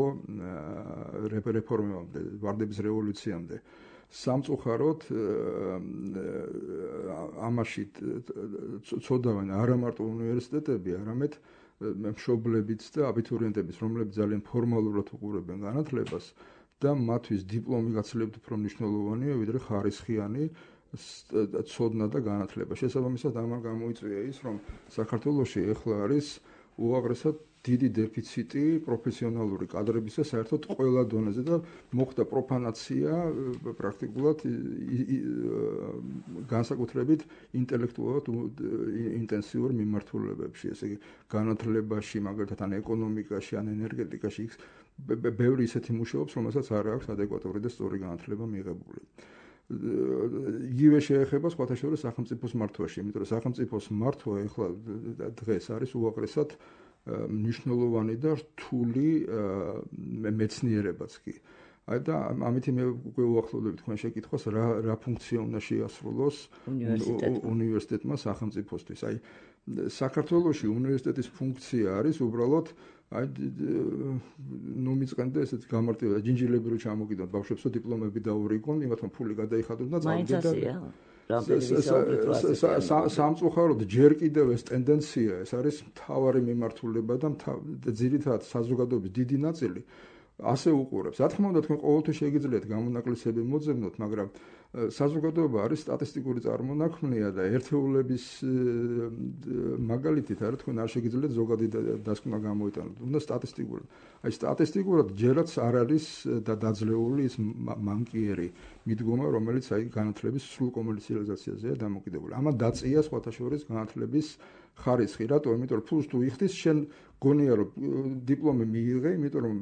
S4: რეფორმებამდე, ვარდების რევოლუციამდე. სამწუხაროდ ამაში ცოდავენ არა მარტო უნივერსიტეტები, არამედ მშობლებიც და აბიტურიენტებიც, რომლებიც ძალიან ფორმალურად უყურებენ განათლებას და მათთვის დიპლომი გაცილებით უფრო მნიშვნელოვანია, ვიდრე ხარისხიანი ცოდნა და განათლება. შესაბამისად, ამან გამოიწვია ის, რომ საქართველოში ეხლა არის უაღრესად დიდი დეფიციტი პროფესიონალური კადრებისა საერთოდ ყველა დონეზე და მოხდა პროფანაცია პრაქტიკულად განსაკუთრებით ინტელექტუალურად ინტენსიურ მიმართულებებში, ესე იგი განათლებაში, მაგალითად ან ეკონომიკაში, ან ენერგეტიკაში ბევრი ისეთი მუშაობს, რომელსაც არ აქვს ადეკვატური და სწორი განათლება მიღებული. იგივე შეეხება სხვათა შორის სახელმწიფოს მართვაში, იმიტომ რომ სახელმწიფოს მართვა ეხლა დღეს არის უაღრესად მნიშვნელოვანი და რთული მეცნიერებაც კი. და ამითი მე უკვე უახლოვდები თქვენ შეკითხვას, რა ფუნქცია უნდა შეასრულოს უნივერსიტეტმა სახელმწიფოსთვის. საქართველოში უნივერსიტეტის ფუნქცია არის უბრალოდ მიწყენდა ესეთ გამარტივება, ჯინჯილები რო ჩამოგიდონ ბავშვებს, რომ დიპლომები დაურიგონ, იმათ რომ ფული გადაიხადონ და სამწუხაროდ ჯერ კიდევ ეს ტენდენცია, ეს არის მთავარი მიმართულება და ძირითადად საზოგადოების დიდი ნაწილი ასე უყურებს. რა თქმა უნდა, თქვენ ყოველთვის შეგიძლიათ გამონაკლისები მოძებნოთ, მაგრამ საზოგადოება არის სტატისტიკური წარმონაქმნია და ერთეულების მაგალითით არა თქვენ არ შეგიძლიათ ზოგადი დასკვნა გამოიტანოთ. უნდა სტატისტიკურად. სტატისტიკურად ჯერაც არ არის დაძლეული ის მანკიერი მიდგომა, რომელიც განათლების სრულ კომერციალიზაციაზეა დამოკიდებული. ამან დაწია სხვათა შორის განათლების ხარისხი. რატო? იმიტომ რომ ფულს თუ იხდის, შენ გონია რომ დიპლომი მიიღე, იმიტომ რომ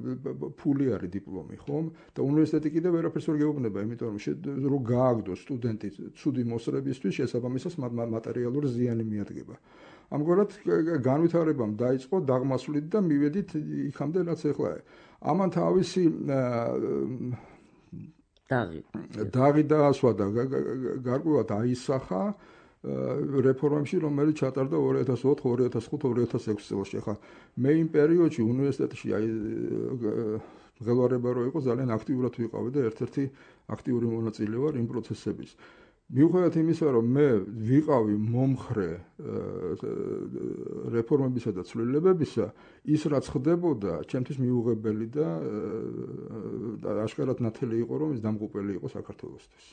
S4: ფული არის დიპლომი, ხომ? და უნივერსიტეტი კიდევ ვერაფერს ვერ გეუბნება, იმიტომ რომ გააგდოს სტუდენტი ცუდი მოსწრებისთვის, შესაბამისად მატერიალური ზიანი მიადგება. ამგვარად განვითარებამ დაიწყო დაღმასვლით და მივედით იქამდე, რაც ეხლა. ამან თავისი დაღი დაასვა და გარკვეულად აისახა რეფორმებში, რომელიც ჩატარდა 2004, 2005, 2006 წელს. ახლა მე იმ პერიოდში უნივერსიტეტში მღელვარება რო იყო, ძალიან აქტიურად ვიყავი და ერთ-ერთი აქტიური მონაწილე ვარ იმ პროცესების. მიუხედავად იმისა, რომ მე ვიყავი მომხრე რეფორმებისა და ცვლილებებისა, ის რაც ხდებოდა, ჩემთვის მიუღებელი და აშკარად ნათელი იყო, რომ ის დამღუპელი იყო საქართველოსთვის.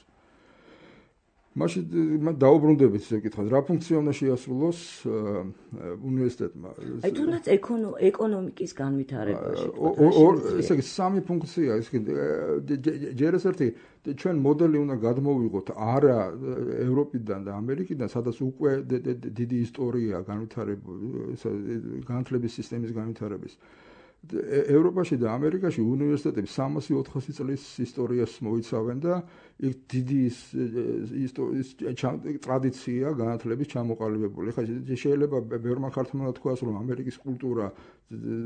S4: მაშინ დაუბრუნდებით ეს კითხვა, რა ფუნქცია უნდა შეასრულოს უნივერსიტეტმა?
S2: თუნდაც ეკონომიკის განვითარებაში.
S4: ესე იგი სამი ფუნქცია, ჯერ ეს ერთი ჩვენ მოდელი უნდა გადმოვიღოთ არა ევროპიდან და ამერიკიდან, სადაც უკვე დიდი ისტორია განვითარების სისტემის განვითარების. ევროპაში და ამერიკაში უნივერსიტეტები 300-400 წლის ისტორიას მოიცავენ და იქ დიდი ტრადიცია განათლების ჩამოყალიბებული. ხა შეიძლება ბევრმა ხარტმანა თქვას, რომ ამერიკის კულტურა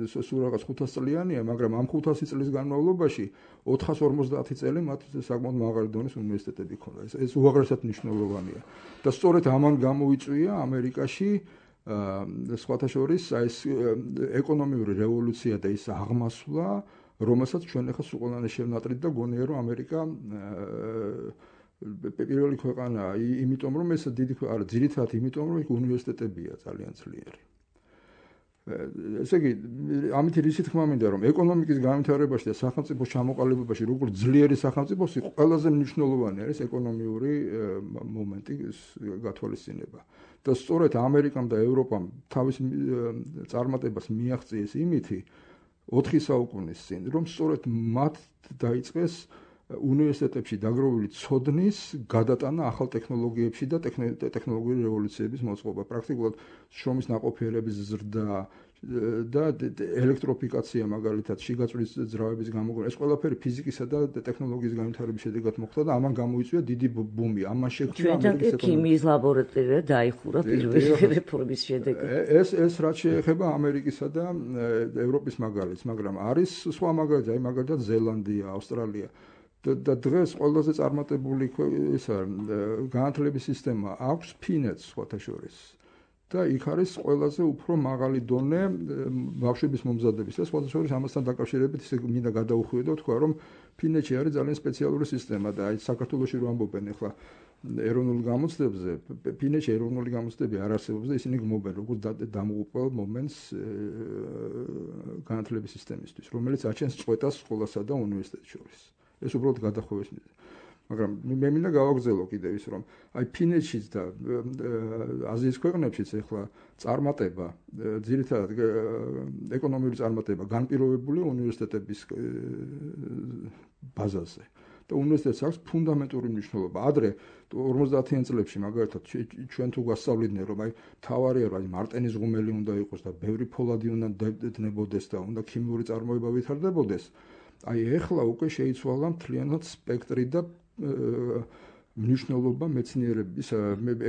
S4: სულ რაღაც 500 წლიანია, მაგრამ ამ 500 წლის განმავლობაში 450 წელი მათ საკმაოდ მაღალი დონის უნივერსიტეტები ჰქონდა. ეს უაღრესად მნიშვნელოვანია. და სწორედ ამან გამოიწვია ამერიკაში სხვათა შორის ეს ეკონომიური რევოლუცია და ის აღმასვლა, რომელსაც ჩვენ ახლა სულ ყველანი შევნატრით და გონია რომ ამერიკა პირველი ქვეყანაა, იმიტომ რომ ეს დიდი არა, ძირითადად იმიტომ რომ იქ უნივერსიტეტებია ძალიან ძლიერი. ესე იგი, ამით რისი თქმა მინდა რომ ეკონომიკის განვითარებაში და სახელმწიფოს ჩამოყალიბებაში როგორც ძლიერი სახელმწიფოს ყველაზე მნიშვნელოვანი არის ეკონომიური მომენტი, გათვალისწინება. და სწორედ ამერიკამ და ევროპამ თავის წარმატებას მიაღწიეს იმითი 4 საუკუნის წინ, რომ სწორედ მათ დაიწყეს უნივერსიტეტებში დაგროვილი ცოდნის გადატანა ახალ ტექნოლოგიებში და ტექნოლოგიური რევოლუციების მოწყობა. პრაქტიკულად შრომის ნაყოფიერების ზრდა და ელექტროფიკაცია მაგალითად შიგაწვის ძრავების გამოგონება. ეს ყველაფერი ფიზიკისა და ტექნოლოგიის განვითარების შედეგად მოხდა და ამან გამოიწვია დიდი ბუმი. ამან შექმნა
S2: ამერიკის ქიმიის ლაბორატორია დაიხურა პირველი რეფორმის შედეგად.
S4: ეს რაც შეეხება ამერიკისა და ევროპის მაგალითს, მაგრამ არის სხვა მაგალითი, აი მაგალითად ზელანდია, ავსტრალია. და დღეს ყველაზე წარმატებული განათლების სისტემა აქვს ფინეთს სხვათა შორის. და იქ არის ყველაზე უფრო მაღალი დონე ბავშვების მომზადების და სხვათა შორის ამასთან დაკავშირებით ისე მინდა გადაუხვიო და თქვა რომ ფინეთში არის ძალიან სპეციალური სისტემა და აი საქართველოში რო ამბობენ ახლა ეროვნულ გამოცდებზე, ფინეთში ეროვნული გამოცდები არ არსებობს და ისინი გმობენ როგორც დამოუკიდებლ მომენტს განათლების სისტემისთვის, რომელიც აჩენს წყვეტას სკოლასა და უნივერსიტეტს შორის. ეს უბრალოდ გადახვევის მიზეზი. მაგრამ მე მინდა გავაგრძელო კიდევ ის რომ აი ფინეთშიც და აზიის ქვეყნებშიც ახლა წარმატება, ძირითადად ეკონომიური წარმატება განპირობებულია უნივერსიტეტების ბაზაზე. და უნივერსიტეტს აქვს ფუნდამენტური მნიშვნელობა. ადრე 50-იან წლებში მაგალითად ჩვენ თუ გვასწავლიდნენ რომ აი თავარია რომ მარტენის ღუმელი უნდა იყოს და ბევრი ფოლადი უნდა დნებოდეს და უნდა ქიმიური წარმოება ვითარდებოდეს. აი ეხლა უკვე შეიცვალა მთლიანად სპექტრი და მნიშვნელობა მეცნიერების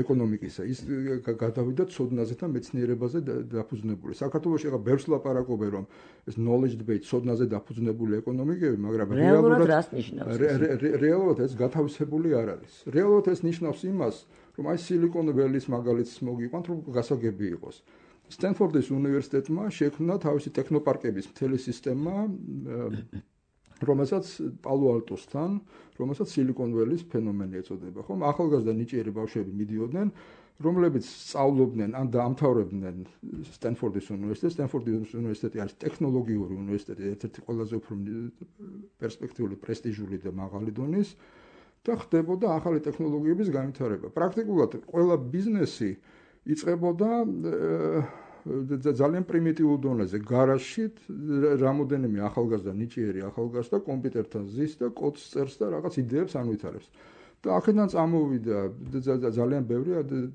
S4: ეკონომიკისა. ის გადავიდა ცოდნაზე და მეცნიერებაზე დაფუძნებული. საქართველოში ახლა ბევრს ლაპარაკობენ რომ ეს knowledge debate ცოდნაზე დაფუძნებული ეკონომიკები, მაგრამ რეალურად ეს გათავისებული არ არის. რეალურად ეს ნიშნავს იმას, რომ აი Silicon Valley-ის მაგალითს მოგიყვანთ, რომ გასაგები იყოს. სტენფორდის უნივერსიტეტმა შექმნა თავისი ტექნოპარკების მთელი სისტემა, რომელსაც პალო-ალტოსთან, რომელსაც Silicon Valley-ის ფენომენი ეწოდება, ხომ? ახალგაზრდა ნიჭიერი ბავშვები მიდიოდნენ, რომლებიც სწავლობდნენ ან დაამთავრებდნენ სტენფორდის უნივერსიტეტს. სტენფორდის უნივერსიტეტი არის ტექნოლოგიური უნივერსიტეტი, ერთ-ერთი ყველაზე უფრო პერსპექტიული, პრესტიჟული და მაღალი დონის და ხდებოდა ახალი ტექნოლოგიების განვითარება. პრაქტიკულად ყველა ბიზნესი იწყებოდა ძალიან პრიმიტიულ დონეზე, გარაჟში რამოდენიმე ახალგაზრდა ნიჭიერი ახალგაზრდა კომპიუტერთან ზის და კოდს წერს და რაღაც იდეებს ანვითარებს. და აქედან წამოვიდა ძალიან ბევრი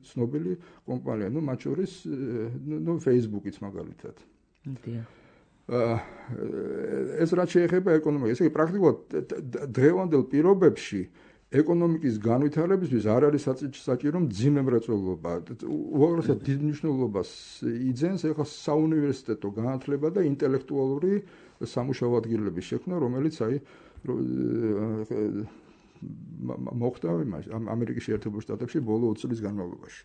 S4: ცნობილი კომპანია, მათ შორის Facebook-იც მაგალითად. ეს რაც შეეხება ეკონომიკას, ესე იგი პრაქტიკულად დღევანდელ პირობებში ეკონომიკის განვითარებისთვის არ არის საჭირო მძიმე მრეწველობა. უაღრესად დიდ მნიშვნელობას იძენს ახლა საუნივერსიტეტო განათლება და ინტელექტუალური სამუშაო ადგილების შექმნა, რომელიც აი მოხდა ამერიკის შეერთებულ შტატებში ბოლო 20 წლის განმავლობაში.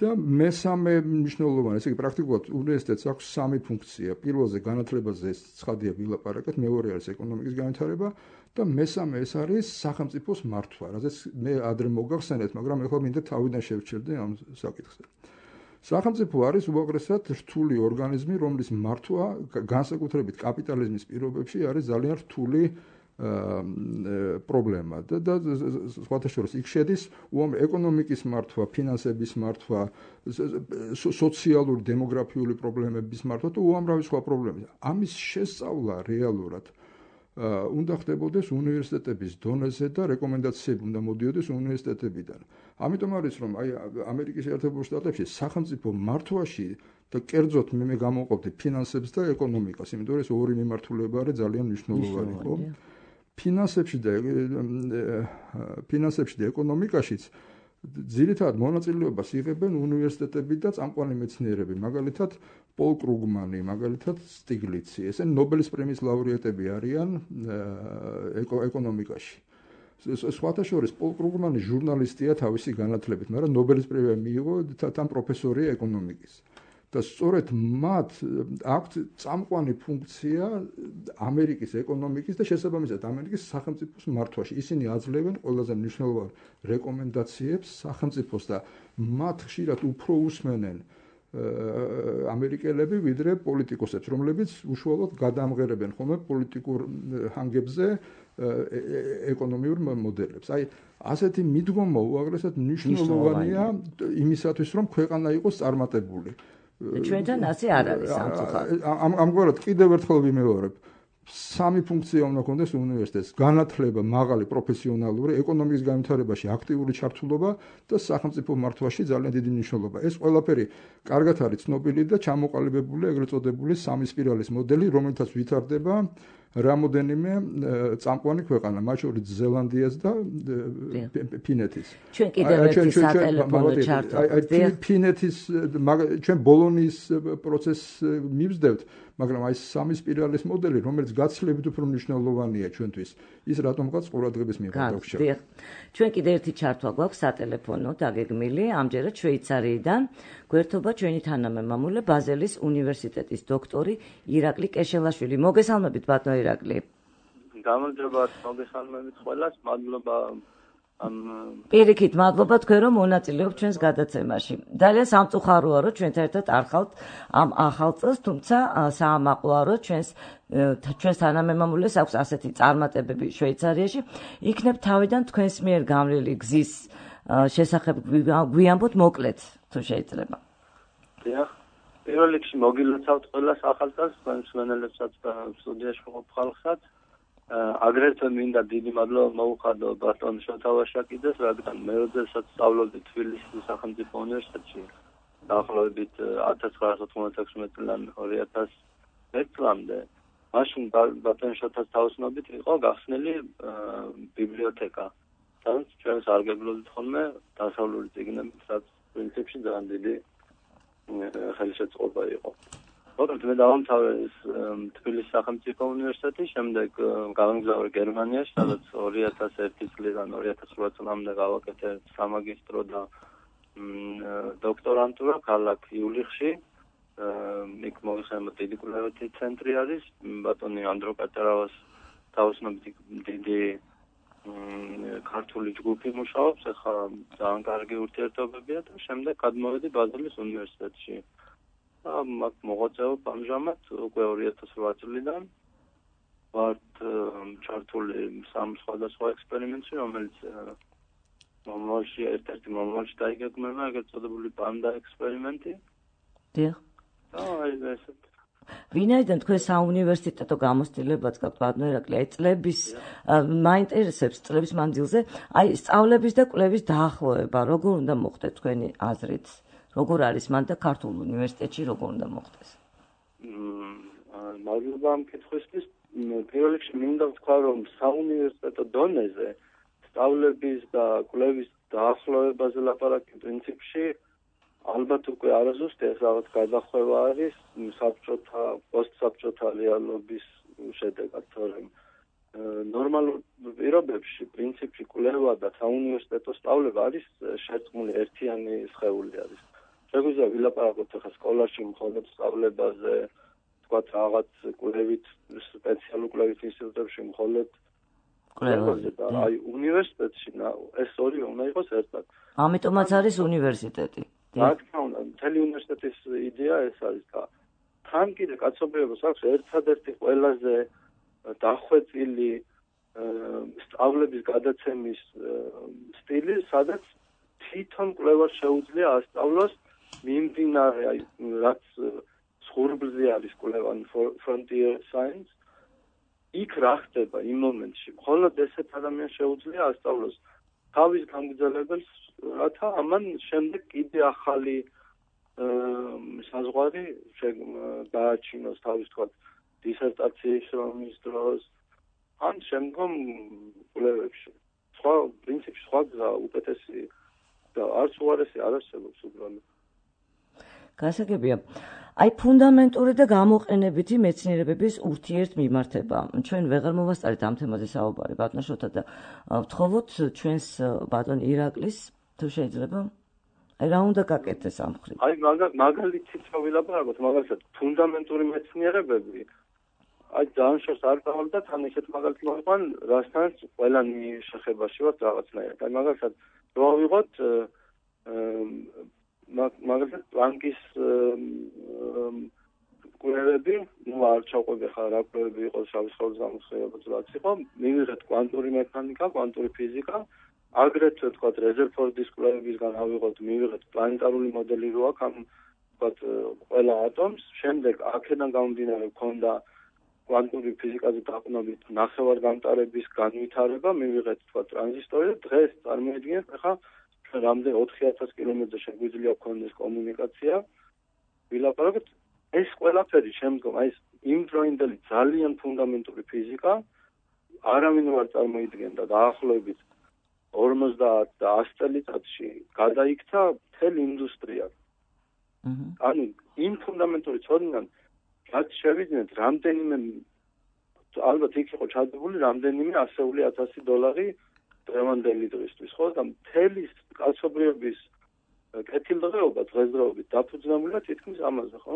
S4: და მესამე მნიშვნელოვანი, ესე იგი პრაქტიკულად უნივერსიტეტს აქვს სამი ფუნქცია. პირველზე განათლებაზე ცხადია ვილაპარაკეთ, მეორე არის ეკონომიკის განვითარება და მესამე ეს არის სახელმწიფოს მართვა, რადგან მე ადრე მოგახსენეთ, მაგრამ ახლა მინდა თავიდან შევჩერდე ამ საკითხზე. სახელმწიფო არის უაღრესად რთული ორგანიზმი, რომლის მართვა განსაკუთრებით კაპიტალიზმის პირობებში არის ძალიან რთული პრობლემა და სხვათა შორის იქ შედის ეკონომიკის მართვა, ფინანსების მართვა, სოციალური დემოგრაფიული პრობლემების მართვა და უამრავი სხვა პრობლემები. ამის შესწავლა რეალურად უნდა ხდებოდეს უნივერსიტეტების დონეზე და რეკომენდაციები უნდა მოდიოდეს უნივერსიტეტებიდან. ამიტომ არის რომ აი ამერიკის შეერთებულ შტატებში სახელმწიფო მართვაში და კერძოდ მე გამოვყოფდი ფინანსებს და ეკონომიკას, იმიტომ რომ ეს ორი მიმართულება არის ძალიან მნიშვნელოვანი, ხო? ფინანსებში და ეკონომიკაშიც ძირითადად მონაწილეობას იღებენ უნივერსიტეტები და წამყვანი მეცნიერები, მაგალითად პოლ კრუგმანი, მაგალითად სტიგლიცი, ესენი ნობელის პრემიის ლაურეატები არიან ეკონომიკაში. სხვათა შორის პოლ კრუგმანი ჟურნალისტია თავისი განათლებით, მაგრამ ნობელის პრემია მიიღო თან პროფესორია ეკონომიკის. და სწორედ მათ აქვთ წამყვანი ფუნქცია ამერიკის ეკონომიკის და შესაბამისად ამერიკის სახელმწიფოს მართვაში. ისინი აძლევენ ყველაზე მნიშვნელოვან რეკომენდაციებს სახელმწიფოს და მათ ხშირად უფრო უსმენენ ამერიკელები ვიდრე პოლიტიკოსებს, რომლებიც უშუალოდ გადაამღერებენ ხოლმე პოლიტიკურ ჰანგებზე ეკონომიურ მოდელებს. აი, ასეთი მიდგომა უაღრესად მნიშვნელოვანია იმისათვის, რომ ქვეყანა იყოს წარმატებული.
S2: ჩვენთან ასე არ არის სამწუხაროდ.
S4: ამგვარად კიდევ ერთხელ ვიმეორებ. სამი ფუნქცია უნდა ქონდეს უნივერსიტეტს: განათლება, მაღალი პროფესიონალური, ეკონომიკის განვითარებაში აქტიური ჩართულობა და სახელმწიფო მართვაში ძალიან დიდი მნიშვნელობა. ეს ყველაფერი კარგად არის ცნობილი და ჩამოყალიბებული ეგრეთ წოდებული სამი სპირალის მოდელი, რომელთაც ვითარდება რამოდენიმე წამყვანი ქვეყანა, მათ შორის ზელანდიას და ფინეთის.
S2: ჩვენ კიდევ ერთი სატელეფონო ჩართვა.
S4: ფინეთის ჩვენ ბოლონიის პროცესს მივსდევთ, მაგრამ აი სამი სპირალის მოდელი, რომელიც გაცილებით უფრო მნიშვნელოვანია ჩვენთვის, ის რატომღაც ყურადღების მიუხედავად გვჭირდება.
S2: ჩვენ კიდევ ერთი ჩართვა გვაქვს სატელეფონო დაგეგმილი, ამჯერად შვეიცარიიდან. გვერდობა ჩვენი თანამემამულე ბაზელის უნივერსიტეტის დოქტორი ირაკლი კეშელაშვილი. მოგესალმებით ბატონო ირაკლი.
S8: გამარჯობათ, მოგესალმებით ყველას, მადლობა
S2: პირიქით, მადლობა თქვენ რომ მონაწილეობთ ჩვენს გადაცემაში. ძალიან სამწუხაროა რომ ჩვენთან ერთად არ ხალთ ამ ახალ წელს, თუმცა საამაყლოა რომ ჩვენს თანამემამულეს აქვს ასეთი წარმატებები შვეიცარიაში. იქნებ თავიდან თქვენს მიერ გამლილი გზის შესახებ გვიამბოთ მოკლედ, თუ შეიძლება.
S8: დიახ, პირველ რიგში მოგილოცავთ ყველას ახალ წელს, თქვენ მსმენელებსაც და სტუდიაში ყოფ ხალხსაც. აგრეთვე მინდა დიდი მადლობა მოუხადო ბატონ შოთა ვაშაკიძეს, რადგან მე როდესაც სწავლობდი თბილისის სახელმწიფო უნივერსიტეტში, დაახლოებით 1996 წლიდან 2001 წლამდე, მაშინ ბატონ შოთას თაოსნობით იყო გახსნილი ბიბლიოთეკა, სადაც ჩვენ სარგებლობდით ხოლმე დასავლური წიგნებით, რაც პრინციპში ძალიან დიდი ხელშეწყობა იყო. ოღონდ მე დავამთავრე თბილისის სახელმწიფო უნივერსიტეტი, შემდეგ გავამგზავრე გერმანიაში, სადაც 2001 წლიდან 2008 წლამდე გავაკეთე სამაგისტრო და დოქტორანტურა ქალაქ იულიხში. იქ მოგეხსენებათ დიდი კვლევითი ცენტრი არის, ბატონი ანდრო კატერავას თაოსნობით დიდი ქართული ჯგუფი მუშაობს, ახლა ძალიან კარგი ურთიერთობებია და შემდეგ გადმოვედი ბაზელის უნივერსიტეტში. აქ მოღვაწეობ ამჟამად უკვე 2008 წლიდან. ვართ ჩართული სამ სხვადასხვა ექსპერიმენტში, რომელიც მომავალში ერთ-ერთი მომავალში დაიგეგმება, ეგრეთ წოდებული პანდა ექსპერიმენტი.
S2: დიახ.
S8: აი ესეთ.
S2: ვინაიდან თქვენ საუნივერსიტეტო გამოცდილებაც გაქვთ ბატონო ირაკლი, აი წლების მაინტერესებს წლების მანძილზე, აი სწავლების და კვლევის დაახლოება, როგორ უნდა მოხდეს თქვენი აზრით? როგორ არის მან და ქართულ უნივერსიტეტში როგორ უნდა მოხდეს?
S8: მადლობა ამ კითხვისთვის. პირველ რიგში მინდა ვთქვა, რომ საუნივერსიტეტო დონეზე სწავლების და კვლევის დაახლოებაზე ლაპარაკი პრინციპში ალბათ უკვე არასდროს ეს რაღაც გადახვევა არის საბჭოთა, პოსტსაბჭოთა რეალობის შედეგად, თორემ ნორმალურ პირობებში პრინციპში კვლევა და საუნივერსიტეტო სწავლება არის შერწყმული ერთიანი სხეული არის. შეგვიძლია ვილაპარაკოთ ახლა სკოლაში მხოლოდ სწავლებაზე, თქვათ რაღაც კვლევით, სპეციალურ კვლევით ინსტიტუტებში მხოლოდ კვლევაზე და აი უნივერსიტეტში ეს ორივე უნდა იყოს ერთად.
S2: ამიტომაც არის უნივერსიტეტი.
S8: რა თქმა უნდა, მთელი უნივერსიტეტის იდეა ეს არის და თან კიდე კაცობრიობას აქვს ერთადერთი ყველაზე დახვეწილი სწავლების გადაცემის სტილი, სადაც თვითონ კვლევას შეუძლია ასწავლოს მიმდინარე, აი რაც სხურბლზე არის კვლევა frontier science, იქ რა ხდება იმ მომენტში. მხოლოდ ესეთ ადამიანს შეუძლია ასწავლოს თავის გამგრძელებელს, რათა ამან შემდეგ კიდე ახალი საზღვარი გააჩინოს თავის თქვა დისერტაციის რომის დროს ან შემდგომ კვლევებში. სხვა პრინციპში სხვა უკეთესი და არც უარესი არ არსებობს უბრალოდ.
S2: გასაგებია. აი ფუნდამენტური და გამოყენებითი მეცნიერებების ურთიერთმიმართება. ჩვენ ვეღარ მოვასწარეთ ამ თემაზე საუბარი ბატონ შოთა და ვთხოვოთ ჩვენს ბატონ ირაკლის თუ შეიძლება აი რა უნდა გაკეთდეს ამ მხრივ.
S8: აი მაგალითით ვილაპარაკოთ, მაგალითად ფუნდამენტური მეცნიერებები აი ძალიან შორს არ წავალ და თან ისეთ მაგალითს მოვიყვან, რასთანაც ყველანი შეხებაში ვართ რაღაცნაირად. აი მაგალითად რო ავიღოთ მაგალითად პლანკის კვლევები, ნუ არ ჩავყვები ხარ რა კვლევები იყო შავი სხეულის გამოსხივებაც რაც იყო, მივიღეთ კვანტური მექანიკა, კვანტური ფიზიკა, აგრეთვე თქვათ რეზერფორდის კვლევებისგან ავიღოთ, მივიღეთ პლანეტარული მოდელი რო აქვს ამ თქვათ ყველა ატომს, შემდეგ აქედან გამომდინარე გქონდა კვანტური ფიზიკაზე დაყრდნობით ნახევარგამტარების განვითარება, მივიღეთ თქვათ ტრანზისტორი და დღეს წარმოიდგინეთ ახლა რამდენი 4000 კილომეტრზე შეგვიძლია გქონდეს კომუნიკაცია. ვილაპარაკოთ ეს ყველაფერი შემდგომ აი ეს იმდროინდელი ძალიან ფუნდამენტური ფიზიკა არავინ არ წარმოიდგენდა დაახლოებით 50 და 100 წელიწადში გადაიქცა მთელი ინდუსტრია. ანუ იმ ფუნდამენტური ცოდნიდან რაც შევიძინეთ რამდენიმე ალბათ იქ იყო ჩადებული რამდენიმე ასეული $1000 დღევანდელი დღისთვის, ხო? და მთელი კაცობრიობის კეთილდღეობა დღესდღეობით დაფუძნებულია თითქმის ამაზე, ხო?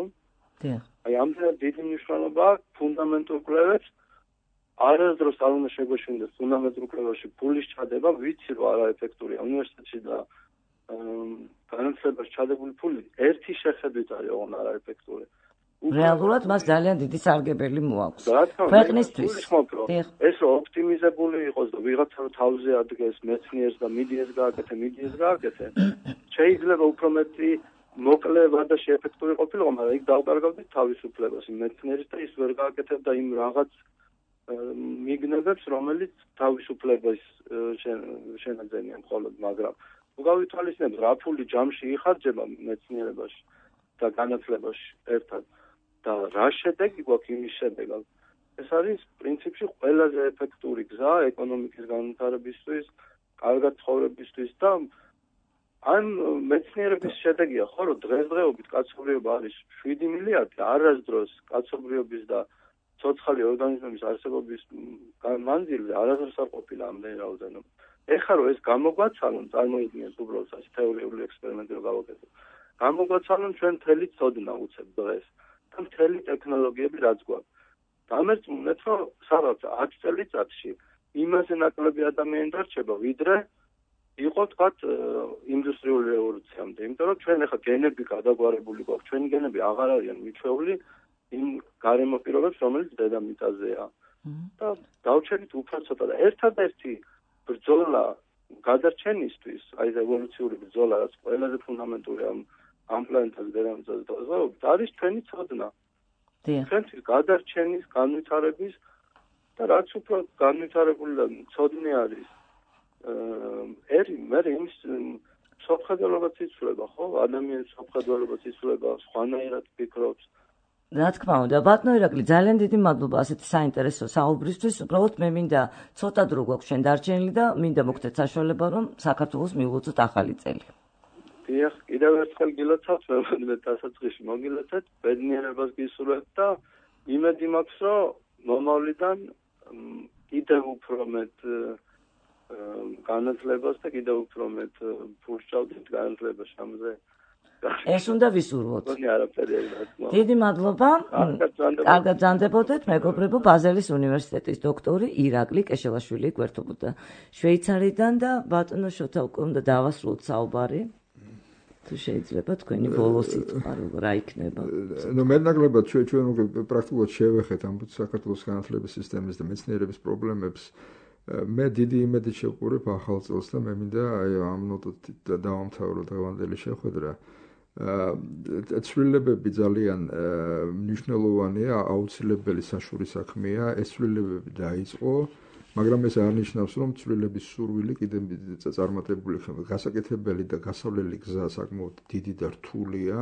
S2: დიახ.
S8: აი ამდენად დიდი მნიშვნელობა აქვს ფუნდამენტურ კვლევებს. არასდროს არ უნდა შეგვეშინდეს ფუნდამენტურ კვლევაში ფულის ჩადება, ვიცი რომ არაეფექტურია უნივერსიტეტში და განათლებაში ჩადებული ფული ერთი შეხედვით არის ოღონდ არაეფექტური.
S2: რეალურად მას ძალიან დიდი სარგებელი მოაქვს ქვეყნისთვის.
S8: ეს რომ ოპტიმიზებული იყოს და ვიღაცა რომ თავზე ადგეს მეცნიერს და მიდიეს გააკეთე, შეიძლება უფრო მეტი მოკლე ვადაში ეფექტური ყოფილიყო, მაგრამ იქ დავკარგავდით თავისუფლებას მეცნიერის და ის ვერ გააკეთებდა იმ რაღაც მიგნებებს, რომელიც თავისუფლებას შენაძენიან მხოლოდ, მაგრამ უგავითვალისწინებთ რა ფული ჯამში იხარჯება მეცნიერებაში და განათლებაში ერთად და რა შედეგი გვაქვს იმის შედეგად. ეს არის პრინციპში ყველაზე ეფექტური გზა ეკონომიკის განვითარებისთვის, კარგად ცხოვრებისთვის და ამ მეცნიერების შედეგია, ხო, რომ დღესდღეობით კაცობრიობა არის 7 მილიარდი, არასდროს კაცობრიობის და ცოცხალი ორგანიზმების არსებობის მანძილზე არასდროს არ ყოფილა ამდენი რაოდენობა. ეხლა რომ ეს გამოგვაცალონ, წარმოიდგინეთ უბრალოდ ასე თეორიული ექსპერიმენტი რომ გავაკეთოთ. გამოგვაცალონ ჩვენ მთელი ცოდნა უცებ დღეს და მთელი ტექნოლოგიები რაც გვაქვს. დამერწმუნეთ, რომ სადაც 10 წელიწადში იმაზე ნაკლები ადამიანი დარჩება, ვიდრე იყო თქვათ ინდუსტრიული რევოლუციამდე. იმიტომ რომ ჩვენ ახლა გენები გადაგვარებული გვაქვს, ჩვენი გენები აღარ არიან მიჩვეული იმ გარემო პირობებს, რომელიც დედამიწაზეა. და დავჩენით უფრო ცოტა და ერთადერთი ბრძოლა გადარჩენისთვის, აი ეს ევოლუციური ბრძოლა, რაც ყველაზე ფუნდამენტური ამ პლანეტაზე დედამიწაზე დაზავებით, არის ჩვენი ცოდნა. ჩვენთვის გადარჩენის, განვითარების და რაც უფრო განვითარებული და ცოდნე არის მე იმის სოფხედელობაც იცვლება, ხო? ადამიანის სოფხედელობაც იცვლება, სხვანაირად ფიქრობს.
S2: რა თქმა უნდა, ბატონო ირაკლი, ძალიან დიდი მადლობა ასეთი საინტერესო საუბრისთვის. უბრალოდ მე მინდა ცოტა დრო გვაქვს ჩვენ დარჩენილი და მინდა მოგცეთ საშუალება, რომ საქართველოს მივუწოთ ახალი წელი.
S8: დიახ, კიდევ ერთხელ გილოცავთ, მე დასაწყისში მოგილოცეთ, ბედნიერებას გისურვებთ და იმედი მაქვს, რომ მომავლიდან კიდევ უფრო მეტ განათლებას და კიდევ უფრო მეტ ფულს ჩავდით განათლებაში ამაზე.
S2: ეს უნდა ვისურვოთ.
S8: არაფერი რა.
S2: დიდი მადლობა. კარგად ბრძანდებოდეთ, მეგობრებო, ბაზელის უნივერსიტეტის დოქტორი ირაკლი კეშელაშვილი გვერდობოდა შვეიცარიიდან და ბატონო შოთა უკვე უნდა დავასრულოთ საუბარი. თუ შეიძლება თქვენი ბოლო სიტყვა რა იქნება?
S4: ნუ მეტნაკლებად ჩვენ უკვე პრაქტიკულად შევეხეთ ამ საქართველოს განათლების სისტემის და მეცნიერების პრობლემებს. მე დიდი იმედით შევყურებ ახალ წელს და მე მინდა აი ამ ნოტით დავამთავრო დღევანდელი შეხვედრა. ცვლილებები ძალიან მნიშვნელოვანია, აუცილებელი საშუალო საქმეა, ეს ცვლილებები დაიწყო, მაგრამ ეს არ ნიშნავს, რომ ცვლილების სურვილი კიდევ წარმატებული ხდება. გასაკეთებელი და გასავლელი გზა საკმაოდ დიდი და რთულია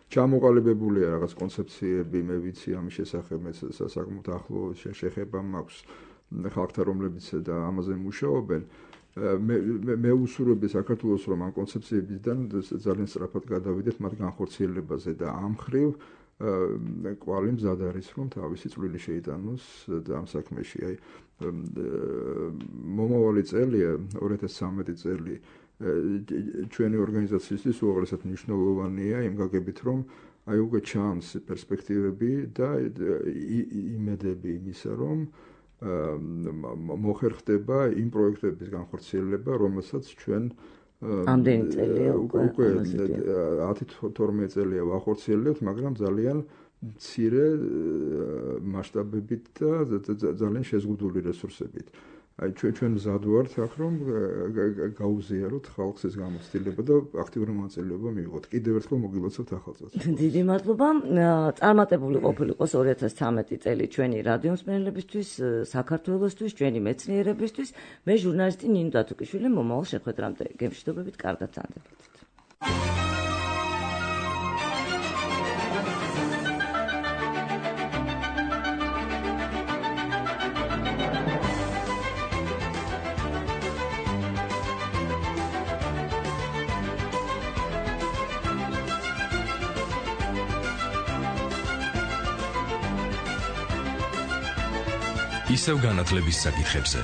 S4: ჩამოყალიბებულია რაღაც კონცეფციები, მე ვიცი ამის შესახებ, მე საკმაოდ ახლო შეხება მაქვს ხალხთან, რომლებიც და ამაზე მუშაობენ. მე უსურვები საქართველოს, რომ ამ კონცეფციებიდან ძალიან სწრაფად გადავიდეთ მათ განხორციელებაზე და ამ მხრივ კვალი მზად არის, რომ თავისი წვლილი შეიტანოს ამ საქმეში. აი მომავალი წელია 2013 წელი ჩვენი ორგანიზაციისთვის უაღრესად მნიშვნელოვანია იმ გაგებით, რომ აი უკვე ჩანს პერსპექტივები და იმედები იმისა, რომ მოხერხდება იმ პროექტების განხორციელება, რომელსაც ჩვენ
S2: ამდენი წელია უკვე
S4: 10-12 წელია ვახორციელებთ, მაგრამ ძალიან მცირე მასშტაბებით და ძალიან შეზღუდული რესურსებით. აი ჩვენ მზად ვართ აქ, რომ გაუზიაროთ ხალხს ეს გამოცდილება და აქტიური მონაწილეობა მიიღოთ. კიდევ ერთხელ მოგილოცავთ ახალწელს.
S2: დიდი მადლობა. წარმატებული ყოფილიყოს 2013 წელი ჩვენი რადიო მსმენელებისთვის, საქართველოსთვის, ჩვენი მეცნიერებისთვის. მე ჟურნალისტი ნინო დათუკიშვილი მომავალ შეხვედრამდე გემშვიდობებით, კარგად წამდებოდეთ.
S1: ისევ განათლების საკითხებზე